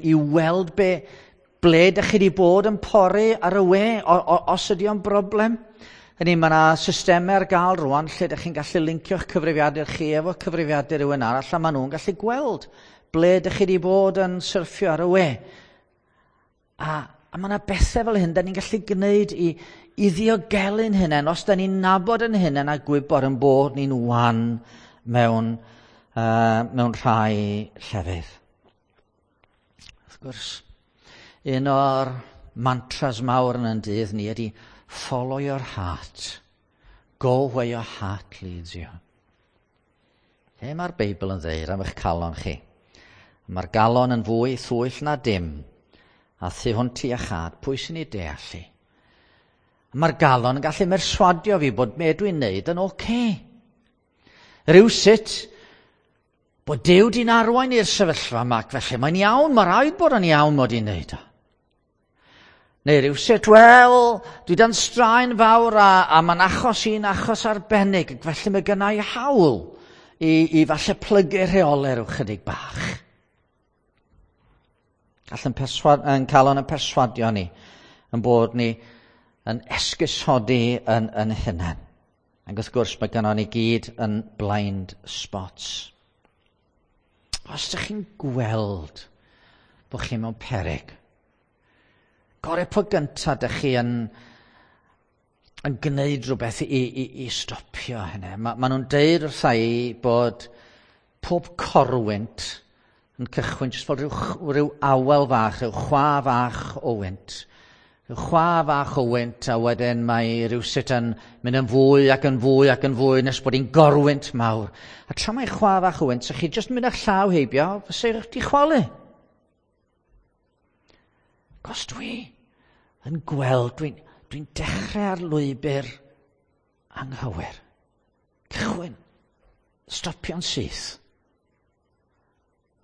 i weld ble ydych chi wedi bod yn pori ar y we, os ydy o'n broblem? Hynny, mae yna systemau ar gael rwan lle ydych chi'n gallu lincio'ch cyfrifiadur chi efo cyfrifiadur rhywun arall a maen nhw'n gallu gweld ble ydych chi wedi bod yn syrffio ar y we. A mae yna bethau fel hyn da ni'n gallu gwneud i ddiogelu'n hunain, os da ni'n nabod yn hunain a gwybod yn bod ni'n wan mewn rhai llefydd. Wrth gwrs, un o'r mantras mawr yn yn dydd ni ydy "Follow your heart. Go where your heart leads you." Lle mae'r Beibl yn dweud am eich calon chi? Mae'r galon yn fwy thwyll na dim, a thu hwnt i iachâd, pwy sy'n ei deall hi? Mae'r galon yn gallu merswadio fi bod be dwi'n neud yn oce. Okay. Rhywsut, bod Duw di'n arwain i'r sefyllfa yma, ac felly mae'n iawn, mae rhaid bod yn iawn mod i'n neud o. Neu rhywsut, wel, dwi dan straen fawr a mae'n achos i'n achos arbennig, ac felly mae gynna i hawl i falle plygu rheolau rhyw chydig bach. Gall yn, perswad, yn calon yn perswadio ni, yn bod ni yn esgusodi yn, yn hunain. Ac wrth gwrs mae gynnon ni gyd yn blind spots. Os ydych chi'n gweld bod chi mewn peryg, gorau po gyntaf ydych chi yn, yn gwneud rhywbeth i, i, i stopio hynny. Ma, ma nhw'n deud wrtha i bod pob corwynt yn cychwyn jyst fel rhyw, rhyw awel fach, rhyw chwa fach o wynt. Rhyw chwa fach o wynt a wedyn mae rhywsut yn mynd yn fwy ac yn fwy ac yn fwy nes bod hi'n gorwynt mawr. A tra mae chwa fach o wynt, so chi jyst mynd â'ch llaw heibio, fysa chi chwalu. Cos dwi yn gweld, dwi'n dwi dechrau ar lwybr anghywir. Cychwyn. Stopio'n syth.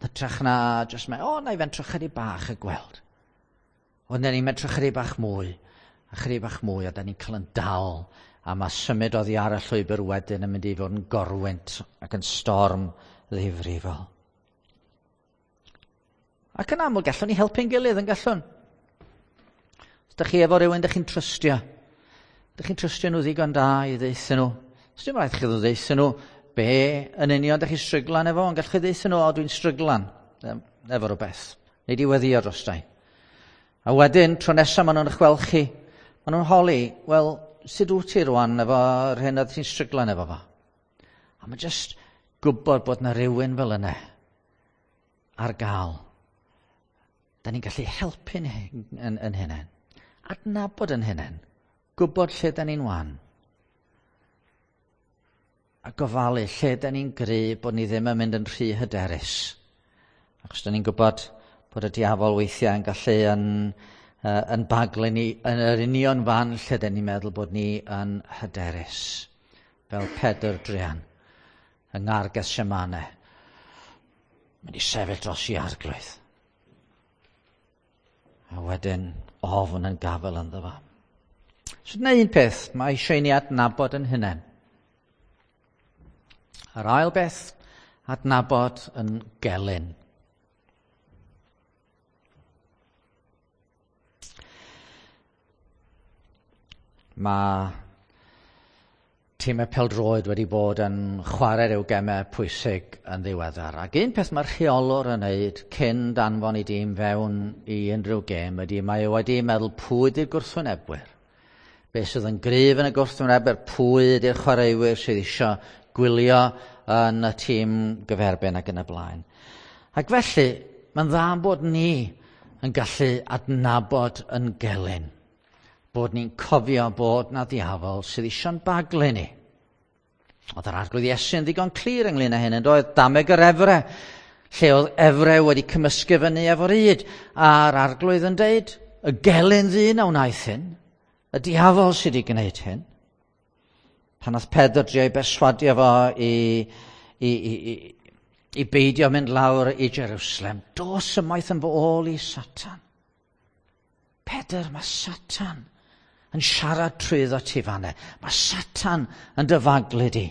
Hytrach na jyst mae, o, na i fentro chydig bach y gweld. Ond ni'n mentro chydig bach mwy, a chydig bach mwy, a da ni'n cael yn dal, a mae symud oddi ar y llwybr wedyn yn mynd i fod yn gorwynt ac yn storm ddifrifol. Ac yn aml, gallwn ni helpu'n gilydd yn gallwn. Os ydych chi efo rhywun ydych chi'n trystio, ydych chi'n trystio nhw ddigon da i ddeithio nhw. Os dim rhaid chi ddeithio nhw be yn union ydych chi'n stryglan efo, ond gallwch chi ddeithio nhw, o dwi'n stryglan efo rhywbeth. Neu di weddio drostai. A wedyn, tro nesaf maen nhw'n eich gweld chi, maen nhw'n holi, wel, sut wyt ti rwan efo'r hyn oedd ti'n stryglan efo fo? A mae jyst gwybod bod na rhywun fel yna ar gael. Da ni'n gallu helpu'n yn, yn hynny. Adnabod yn hynny. Gwybod lle da ni'n wan a gofalu lle da ni'n gry bod ni ddim yn mynd yn rhy hyderus. Achos da ni'n gwybod bod y diafol weithiau yn gallu yn, uh, yn baglu ni yn yr union fan lle da ni'n meddwl bod ni yn hyderus. Fel Pedr Drian yng Ngar Gethsemane. Mynd i sefyll dros i arglwydd. A wedyn ofn yn gafel ynddo fo. So dyna un peth, mae eisiau i ni adnabod yn hunain. Yr ail beth, adnabod yn gelyn. Mae tîmau peldroed wedi bod yn chwarae rhyw gemau pwysig yn ddiweddar. Ac un peth mae'r rheolwr yn neud cyn danfon i dîm fewn i unrhyw gêm ydy mae o wedi meddwl pwy ydy'r gwrthwynebwyr. Be sydd yn gryf yn y gwrthwynebwyr, pwy ydy'r chwaraewyr sydd eisiau gwylio yn y tîm gyferbyn ac yn y blaen. Ac felly, mae'n dda bod ni yn gallu adnabod yn gelyn. Bod ni'n cofio bod na ddiafol sydd eisiau'n baglu ni. Oedd yr arglwydd Iesu yn ddigon clir ynglyn â hyn, yn doedd dameg yr efre, lle oedd efre wedi cymysgu fyny efo'r yd, a'r arglwydd yn deud, y gelyn ddyn a wnaeth hyn, y diafol sydd wedi gwneud hyn. Pan oedd Pedr drio i berswadio fo i, i, i, i, i beidio mynd lawr i Jerusalem, dos ymaith yn fy ôl i Satan. Pedr, mae Satan yn siarad trwyddo ti fanne. Mae Satan yn dyfaglu di.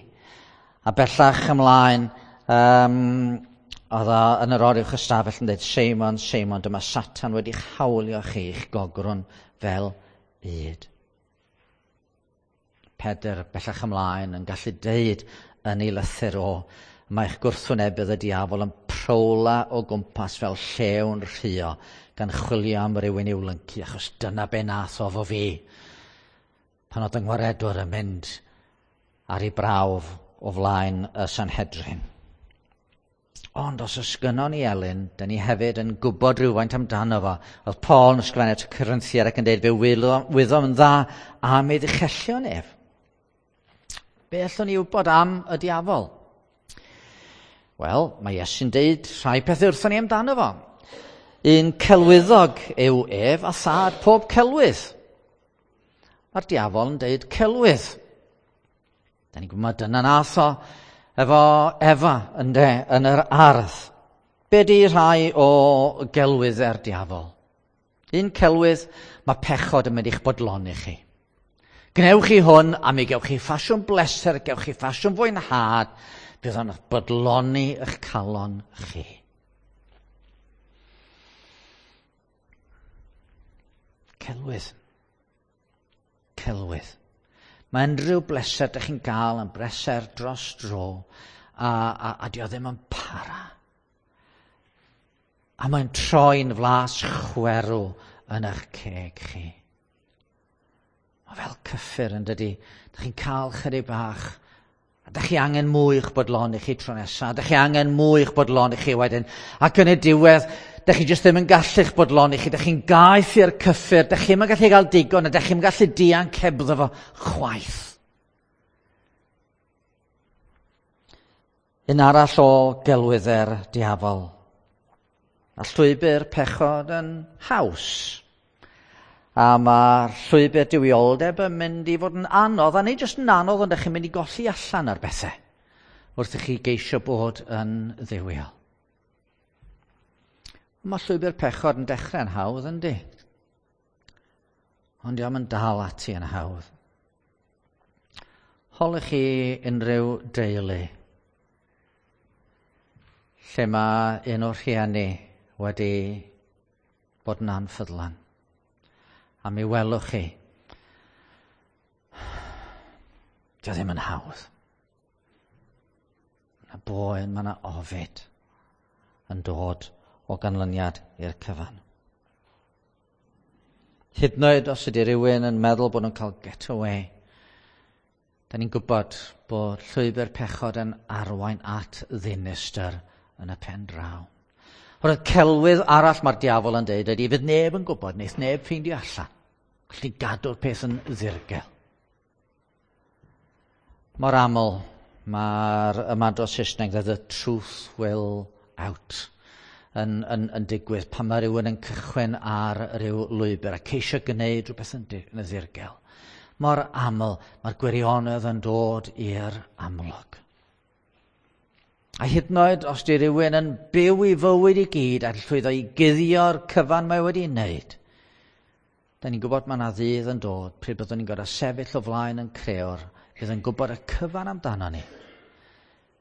A bellach ymlaen, um, oedd o yn yr oruwch ystafell yn dweud, Seimon, Seimon, dyma Satan wedi'ch hawlio chi i'ch gogrwn fel byd. Pedr bellach ymlaen yn gallu deud yn ei lythyr o, mae'ch gwrthwynebydd y diafol yn prowla o gwmpas fel llewn rhuo gan chwilio am rywun i'w lyncu, achos dyna be nath o fo fi. Pan oedd yng ngwaredwr yn mynd ar ei brawf o flaen y Sanhedrin. Ond os oes gynnon ni Elin, dyn ni hefyd yn gwybod rhywfaint amdano fo. Oedd Paul yn ysgrifennu at y Corinthiaid ac yn dweud fe wyddom yn dda am ei ddichellion ef. Be allwn ni wybod am y diafol? Wel, mae Iesu'n deud rhai pethau wrthon ni amdano fo. Un celwyddog yw ef a thad pob celwydd. Mae'r diafol yn deud celwydd. Da ni'n gwybod dyna nath o efo Efa ynde, yn yr ardd. Be di rhai o gelwyddau'r diafol? Un celwydd, mae pechod yn mynd i'ch bodloni chi. Gnewch chi hwn a mi gewch chi ffasiwn bleser, gewch chi ffasiwn fwynhad, bydd o'n bodloni eich calon chi. Celwydd. Celwydd. Mae unrhyw bleser dych chi'n gael yn bleser dros dro a dio ddim yn para. A mae'n troi'n flas chwerw yn eich ceg chi. Mae fel cyffur yn dydi. Dych chi'n cael chydig bach. A dych chi angen mwy i'ch bodloni chi tro nesaf. Dych chi angen mwy i'ch bodloni chi wedyn. Ac yn y diwedd, dych chi jyst ddim yn gallu'ch bodloni chi. Dych chi'n gaeth i'r cyffur. Dych chi'm yn gallu gael digon a dych chi'm yn gallu dianc hebddo fo chwaith. Un arall o gelwydde'r diafol. A llwybr pechod yn haws. A mae'r llwybr duwioldeb yn mynd i fod yn anodd, a nid jyst yn anodd, ond ydych chi'n mynd i golli allan ar bethau wrth i chi geisio bod yn dduwiol. Mae llwybr pechod yn dechrau'n hawdd, yndi? Ond dio'm yn dal ati yn hawdd. Holwch chi unrhyw deulu lle mae un o'r rhieni wedi bod yn anffyddlon. A mi welwch chi, dio ddim yn hawdd. Mae yna boen, mae yna ofid yn dod o ganlyniad i'r cyfan. Hyd yn oed os ydy rhywun yn meddwl bod nhw'n cael getaway, da ni'n gwybod bod llwybr pechod yn arwain at ddinistr yn y pen draw. Oherwydd celwydd arall mae'r diafol yn deud ydy, fydd neb yn gwybod, neith neb ffeindio allan. Gallu gadw'r peth yn ddirgel. Mor aml mae'r ymadrodd Saesneg that the truth will out yn digwydd pan mae rhywun yn cychwyn ar ryw lwybr a ceisio gwneud rhywbeth yn ddirgel. Mor aml mae'r gwirionedd yn dod i'r amlwg. A hyd yn oed os di rhywun yn byw i fywyd i gyd a llwyddo i guddio'r cyfan mae wedi wneud, da ni'n gwybod mae yna ddydd yn dod pryd byddwn ni'n gorfod sefyll o flaen yn creor, fydd yn gwybod y cyfan amdano ni.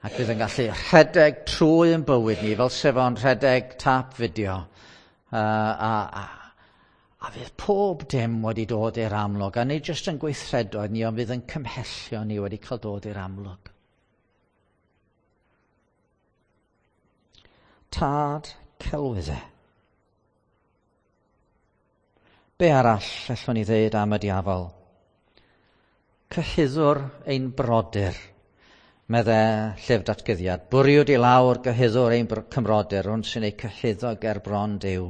Ac fydd yn gallu rhedeg trwy yn bywyd ni, fel sef o'n rhedeg tap fideo. A fydd pob dim wedi dod i'r amlwg. A nid jyst yn gweithredoedd ni, ond fydd yn cymhellio ni wedi cael dod i'r amlwg. Tad celwyddau. Be arall allwn ni ddweud am y diafol? Cyhuddwr ein brodyr, medde llyfr datguddiad. Bwriwyd i lawr gyhuddwr ein cymrodyr, hwn sy'n ei cyhuddo ger bron Duw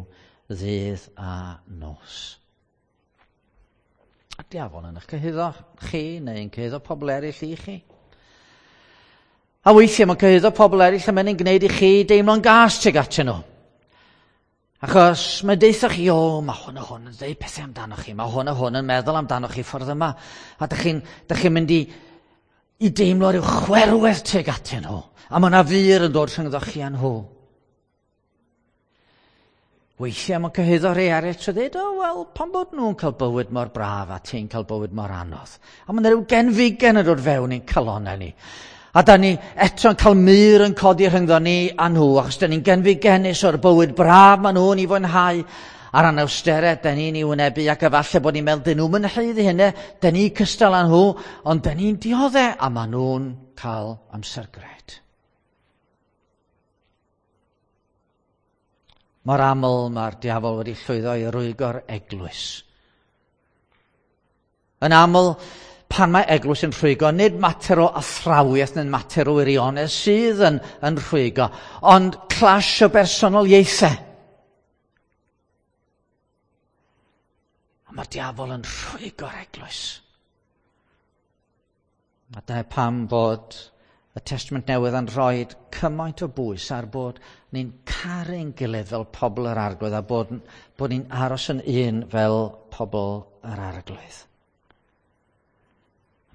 ddydd a nos. A diafol yn eich cyhuddo chi, neu'n cyhuddo pobl eraill i chi. A weithiau mae'n cyhuddo pobl eraill a mae'n gwneud i chi deimlo'n gas tuag atyn nhw. Achos mae'n deutha chi, o, mae hwn a hwn yn dweud pethau amdano chi, mae hwn a hwn yn meddwl amdano chi ffordd yma. A dych chi'n mynd i deimlo rhyw chwerwedd tuag atyn nhw. A mae yna fur yn dod rhyngddo chi a nhw. Weithiau mae'n cyhuddo rhai eraill trwy ddweud, o, wel, pam bod nhw'n cael bywyd mor braf a ti'n cael bywyd mor anodd? A mae yna rhyw genfigen yn dod fewn i'n calonnau ni. A da ni eto'n cael mur yn codi rhyngddo ni a nhw, achos da ni'n genfigennus o'r bywyd braf maen nhw'n ei fwynhau, a'r anawsterau da ni'n ei wynebu, ac efallai bod ni'n meddwl, dyn nhw'n mynd haeddu hynny, da ni cystal â nhw, ond da ni'n dioddef, a maen nhw'n cael amser gret. Mor aml mae'r diafol wedi llwyddo i rwygo'r eglwys. Yn aml, pan mae eglwys yn rhwygo, nid mater o athrawiaeth neu mater o wirionedd sydd yn rhwygo, ond clash o bersonoliaethau. A mae'r diafol yn rhwygo'r eglwys. A dyna pam bod y Testament Newydd yn rhoi cymaint o bwys ar bod ni'n caru'n gilydd fel pobl yr Arglwydd a bod ni'n aros yn un fel pobl yr Arglwydd.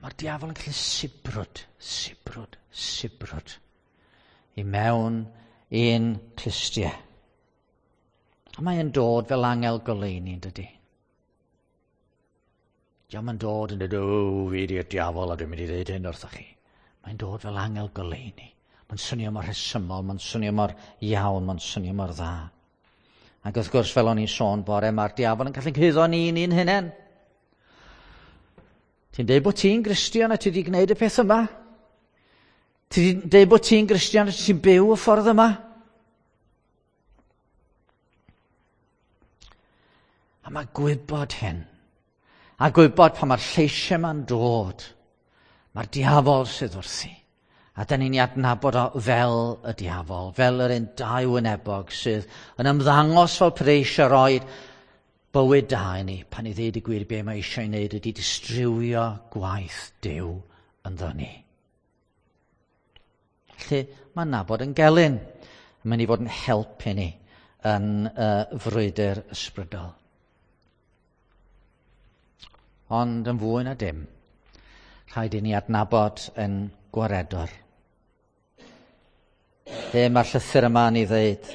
Mae'r diafol yn gallu sibrwd, sibrwd, sibrwd i mewn i'n clustiau. A mae'n dod fel angel goleuni, dydy. Dio'm yn dod yn dweud, o, fi di'r diafol a dwi'n mynd i ddeud hyn wrthoch chi. Mae'n dod fel angel goleuni. Mae'n swnio mor rhesymol, mae'n swnio mor iawn, mae'n swnio mor dda. Ac wrth gwrs, fel o'n i'n sôn bore, mae'r diafol yn gallu cuddo ni'n un hunain. Ti'n deud bod ti'n Gristion a ti wedi gwneud y peth yma? Ti'n deud bod ti'n Gristion a ti'n byw y ffordd yma? A mae gwybod hyn, a gwybod pan mae'r lleisiau yma'n dod, mae'r diafol sydd wrthi. A da ni'n ei adnabod o fel y diafol, fel yr un dau wynebog sydd yn ymddangos fel pe eisiau rhoi bywyd da i ni, pan i ddeud y gwir be mae eisiau ei wneud ydy distrywio gwaith Duw ynddo ni. Felly mae nabod yn gelyn, yn mynd i fod yn help i ni yn y frwydr ysbrydol. Ond yn fwy na dim, rhaid i ni adnabod yn gwaredwr. Be mae'r llythyr yma yn ei ddeud?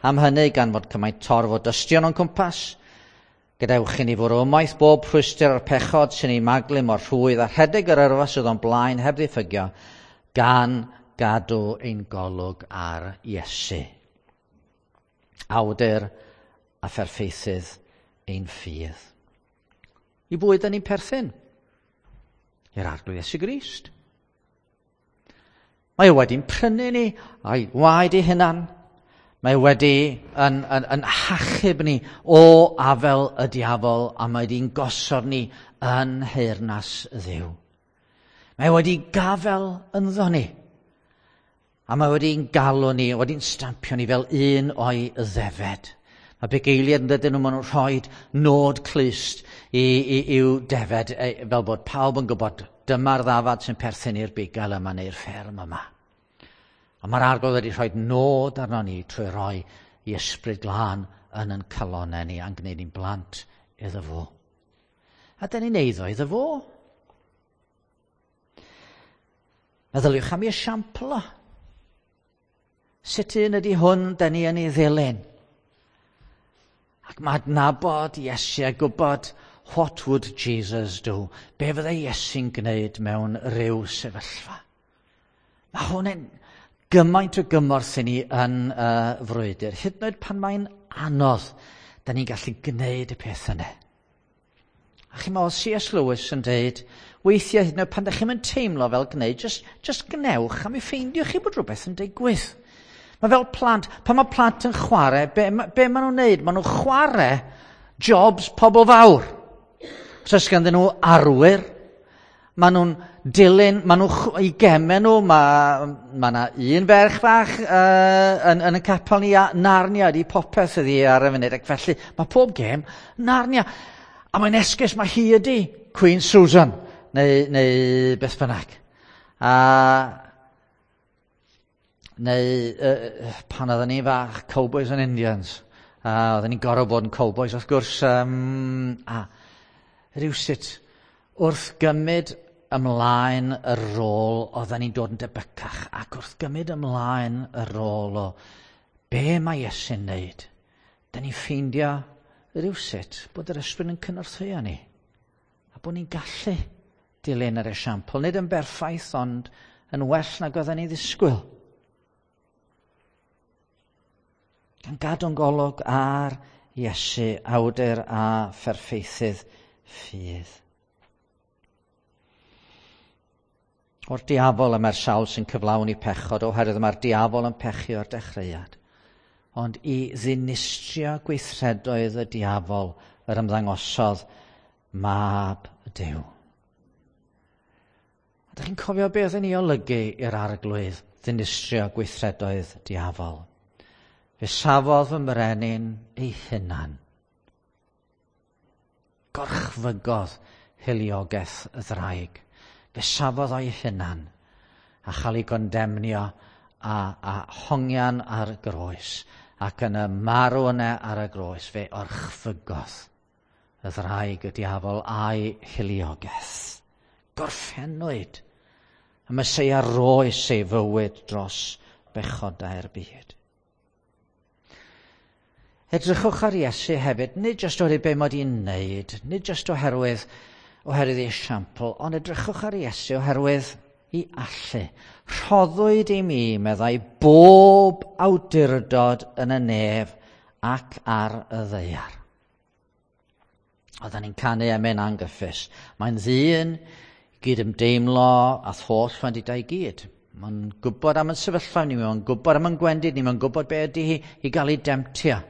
Am hynny, gan fod cymaint torf o dystion o'n cwmpas, gadewch i ni fwrw ymaith bob rhwystr a'r pechod sy'n ei maglu mor rhwydd a rhedeg yr yrfa sydd o'n blaen heb ddiffygio, gan gadw ein golwg ar Iesu. Awdur a pherffeithydd ein ffydd. I bwy da ni'n perthyn? I'r Arglwydd Iesu Grist. Mae o wedi'n prynu ni a'i waed ei hunan. Mae wedi yn, yn, yn hachub ni o afel y diafol a mae wedi'n gosod ni yn nheyrnas Dduw. Mae wedi gafel ynddo ni. A mae wedi'n galw ni, wedi'n stampio ni fel un o'i ddefed. Mae bugeiliaid yn dydyn nhw, maen nhw'n rhoi nod clust i, i, i'w defed, fel bod pawb yn gwybod dyma'r ddafad sy'n perthyn i'r bugail yma neu'r fferm yma. A mae'r Arglwydd wedi rhoi nod arno ni trwy roi i ysbryd glân yn yn calonau ni a'n gwneud ni'n blant iddo fo. A dyn ni'n eiddo iddo fo. Meddyliwch am ei esiampl o. Sut un ydy hwn dyn ni yn ei ddilyn? Ac mae adnabod Iesu a gwybod what would Jesus do? Be fyddai Iesu'n gwneud mewn rhyw sefyllfa? Mae hwn yn gymaint o gymorth i ni yn y frwydr. Hyd yn oed pan mae'n anodd, da ni'n gallu gwneud y peth yna. A chi'n meddwl, C.S. Lewis yn dweud, weithiau hyd yn oed pan da chi'n teimlo fel gwneud, just, just gnewch a mi ffeindiwch chi bod rhywbeth yn digwydd. Mae fel plant, pan mae plant yn chwarae, be, be maen nhw'n neud? Maen nhw'n chwarae jobs pobl fawr. Os oes ganddyn nhw arwyr, maen nhw'n dilyn, maen nhw i gemau nhw, mae ma yna un ferch fach yn, yn y capel ni, a Narnia ydi popeth ydi ar y funud, ac felly mae pob gêm Narnia. A mae'n esgus, mae hi ydi Queen Susan, neu, neu beth bynnag. A neu pan oedden ni fach, Cowboys and Indians. A oedden ni'n gorfod bod yn cowboys, wrth gwrs. Um, a rhywsut, wrth gymryd ymlaen y rôl, oedden ni'n dod yn debycach, ac wrth gymryd ymlaen y rôl o be mae Iesu'n neud, da ni'n ffeindio rhywsut bod yr ysbryd yn cynorthwyo ni, a bod ni'n gallu dilyn yr esiampl, nid yn berffaith, ond yn well nag oedden ni ddisgwyl. Gan gadw'n golwg ar Iesu, awdur a pherffeithydd ffydd. O'r diafol y mae'r sawl sy'n cyflawni pechod, oherwydd mae'r diafol yn pechu o'r dechreuad. Ond i ddinistrio gweithredoedd y diafol yr ymddangosodd mab Duw. Ydych chi'n cofio beth yn ei olygu i'r arglwydd ddinistrio gweithredoedd diafol? Fe safodd fy mrenin ei hunan. Gorchfygodd hiliogaeth y ddraig. Fe safodd o'i hunan a chael ei gondemnio a, a hongian ar y groes ac yn y marw yna ar y groes fe orchfygodd y ddraig y diafol a'i hiliogaeth. Gorffennwyd y Meseia roes ei fywyd dros bechodau'r byd. Edrychwch ar Iesu hefyd, nid jyst oherwydd be mae wedi'n wneud, nid jyst oherwydd, oherwydd ei esiampl, ond edrychwch ar Iesu oherwydd i allu. Rhoddwyd i mi, meddai, bob awdurdod yn y nef ac ar y ddaear. Oedden ni'n canu emyn angyffus. Mae'n ddyn gyd ymdeimlo a holl wendidau gyd. Mae'n gwybod am yn sefyllfa ni, mae'n gwybod am yn gwendid ni, mae'n gwybod be ydy hi i gael ei demtio.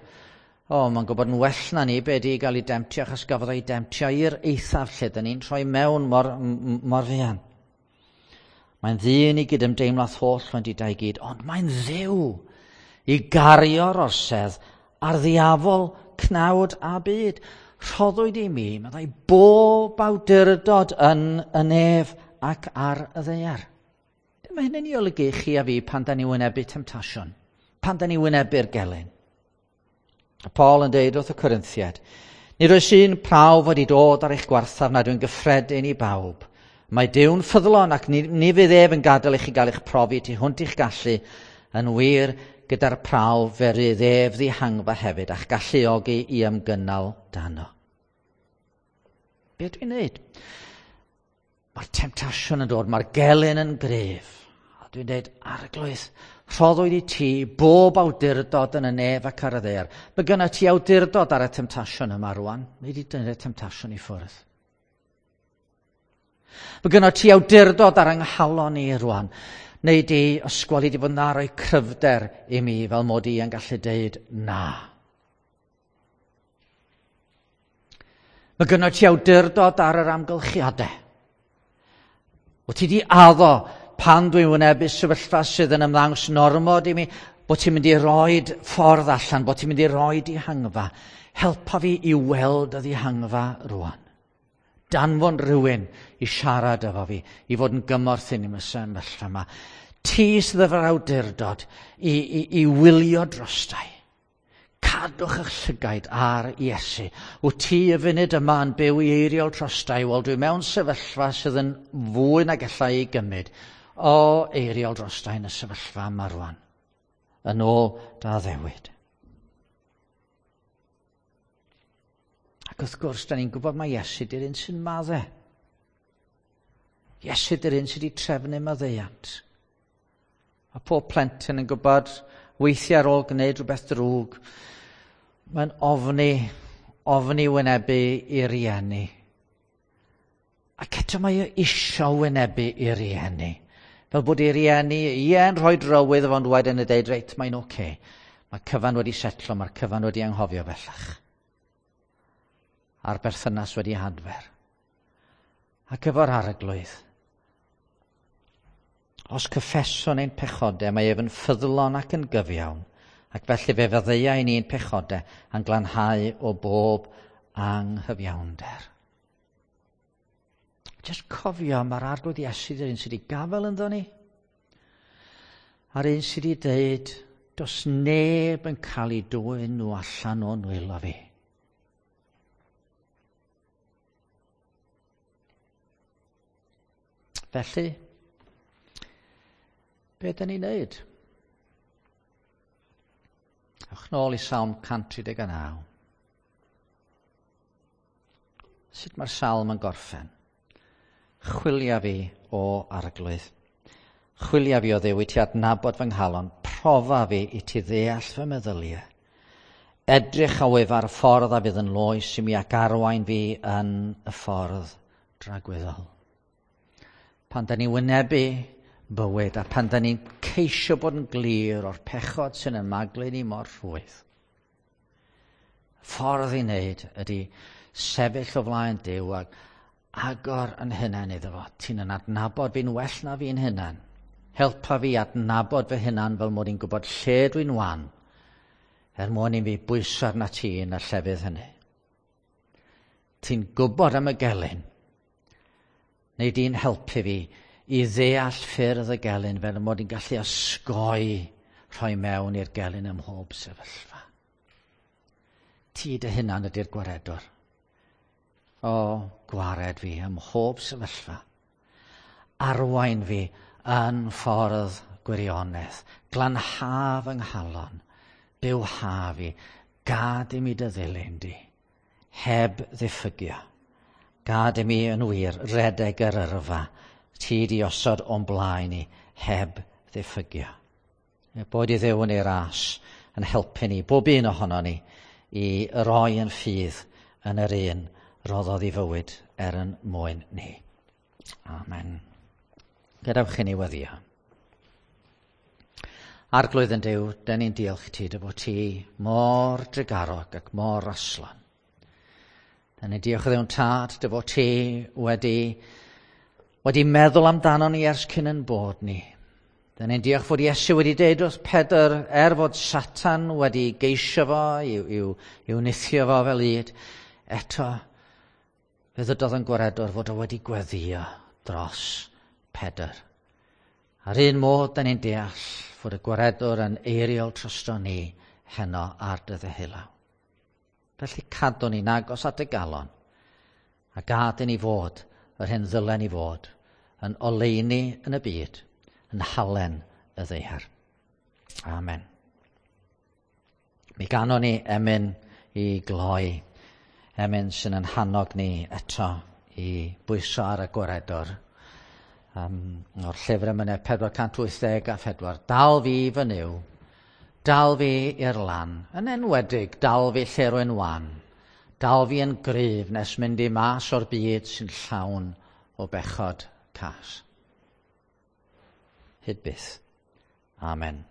O, mae'n gwybod yn well na ni be ydy i gael ei demtio, achos gafodd ei demtio i'r eithaf lle dyn ni'n troi mewn mor, mor fuan. Mae'n ddyn i gyd ymdeimlo â'th holl wendidau gyd, ond mae'n ddiw i gario'r orsedd ar ddiafol, cnawd a byd. Rhoddwyd i mi, meddai, bob awdurdod yn y nef ac ar y ddaear. Be mae hynny'n ei olygu i chi a fi pan da ni wynebu temtasiwn? Pan da ni wynebu'r gelyn? A Paul yn deud wrth y Corinthiad, nid oes un prawf wedi dod ar eich gwarthaf nad yw'n gyffredin i bawb. Mae Duw'n ffyddlon ac ni, ni fydd ef yn gadael i chi gael eich profi tu hwnt i'ch gallu. Yn wir, gyda'r prawf fe rydd ef ddihangfa hefyd a'ch galluogi i ymgynnal dano. Be dwi'n neud? Mae'r temtasiwn yn dod, mae'r gelyn yn gryf. A dwi'n dweud, Arglwydd, rhoddwyd i ti bob awdurdod yn y nef ac ar y ddaear. Mae gynna ti awdurdod ar y temtasiwn yma rwan. Nei di dynnu'r temtasiwn i ffwrdd. Mae gynna ti awdurdod ar ynghalon i rwan. Neu di ysgweli di fod na roi cryfder i mi fel mod i yn gallu deud na. Mae gynna ti awdurdod ar yr amgylchiadau. Wyt ti di addo pan dwi'n wynebu sefyllfa sydd yn ymddangos yn ormod i mi, bod ti'n mynd i roed ffordd allan, bod ti'n mynd i roed dihangfa. Helpa fi i weld y ddihangfa rwan. Danfon rhywun i siarad efo fi, i fod yn gymorth i ni yn y sefyllfa yma. Ti sydd efo'r awdurdod i, i, i wylio drostai. Cadwch eich llygaid ar Iesu. Wyt ti y funud yma yn byw i eiriol trostai? Wel, dwi mewn sefyllfa sydd yn fwy na gallai ei gymryd. O, eiriol drostai yn y sefyllfa yma rwan. Yn ôl da ddewid. Ac wrth gwrs, da ni'n gwybod mae Iesu di'r un sy'n madde. Iesu di'r un sydd wedi trefnu maddeuant. A pob plentyn yn gwybod weithiau ar ôl gwneud rhywbeth drwg, mae'n ofni, ofni wynebu i rieni. Ac eto mae e isio wynebu i rieni. Fel bod ei rieni, ie, yn rhoi drywydd fo'n dweud yn y deud, reit, mae'n oce. Okay. Mae cyfan wedi setlo, mae'r cyfan wedi anghofio bellach. A'r berthynas wedi hadfer. Ac efo'r arglwydd, Os cyffeswn ein pechodau, mae ef yn ffyddlon ac yn gyfiawn, ac felly fe faddeuai ni'n pechodau a'n glanhau o bob anghyfiawnder. Just cofio, mae'r arglwydd Iesu yr un sydd wedi gafael ynddo ni, a'r un sydd wedi dweud, does neb yn cael ei dwyn nhw allan o'n nwylo fi. Felly, be dyn ni'n neud? Ewch nôl i Salm 139. Sut mae'r salm yn gorffen? Chwilia fi o arglwydd. Chwilia fi o Dduw i ti adnabod fy nghalon. Profa fi i ti ddeall fy meddyliau. Edrych a wyf ar y ffordd a fydd yn loes i mi ac arwain fi yn y ffordd dragwyddol. Pan da ni wynebu bywyd a pan da ni'n ceisio bod yn glir o'r pechod sy'n ymaglu ni mor rhwydd. Ffordd i wneud ydy sefyll o flaen Duw ac agor yn hunan iddo fo. Ti'n yn adnabod fi'n well na fi'n hunan. Helpa fi adnabod fy hunan fel mod i'n gwybod lle dwi'n wan, er mwyn i fi bwyso arna ti yn y llefydd hynny. Ti'n gwybod am y gelyn. Neu di'n helpu fi i ddeall ffyrdd y gelyn fel mod i'n gallu osgoi rhoi mewn i'r gelyn ym mhob sefyllfa. Ti dy hunan ydy'r gwaredwr. O, gwared fi ym mhob sefyllfa. Arwain fi yn ffordd gwirionedd. Glanha fy nghalon. Bywha fi. Gad i mi dy ddilyn di. Heb ddiffygio. Gad i mi yn wir redeg yr yrfa. Ti di osod o'n blaen i heb ddiffygio. Boed i Dduw yn ei ras yn helpu ni, bob un ohono ni, i roi yn ffydd yn yr un roddodd ei fywyd er yn mwyn ni. Amen. Gadewch i ni weddio. Arglwydd yn Duw, dyn ni'n diolch ti dy fod ti mor drugarog ac mor raslon. Dyn ni'n diolch o Dduw'n Tad dy fod ti wedi meddwl amdano ni ers cyn yn bod ni. Dyn ni'n diolch fod Iesu wedi deud wrth Pedr, er fod Satan wedi geisio fo, i'w nithio fo fel ŷd, eto fe ddydodd yn gwaredwr fod o wedi gweddio dros Pedr. A'r un modd, dyn ni'n deall fod y gwaredwr yn eiriol drosto ni heno ar dy ddeheulaw. Felly cadw ni'n agos at y galon a gad i ni fod yr hyn ddylen ni fod yn oleuni yn y byd, yn halen y ddaear. Amen. Mi ganon ni emyn i gloi, emyn sy'n yn hannog ni eto i bwyso ar y gwaredwr. O'r llyfr emynau 484, dal fi fy Nuw, dal fi i'r lan, yn enwedig dal fi lle rwy'n wan, dal fi yn gryf nes mynd i mas o'r byd sy'n llawn o bechod cas. Hyd byth. Amen.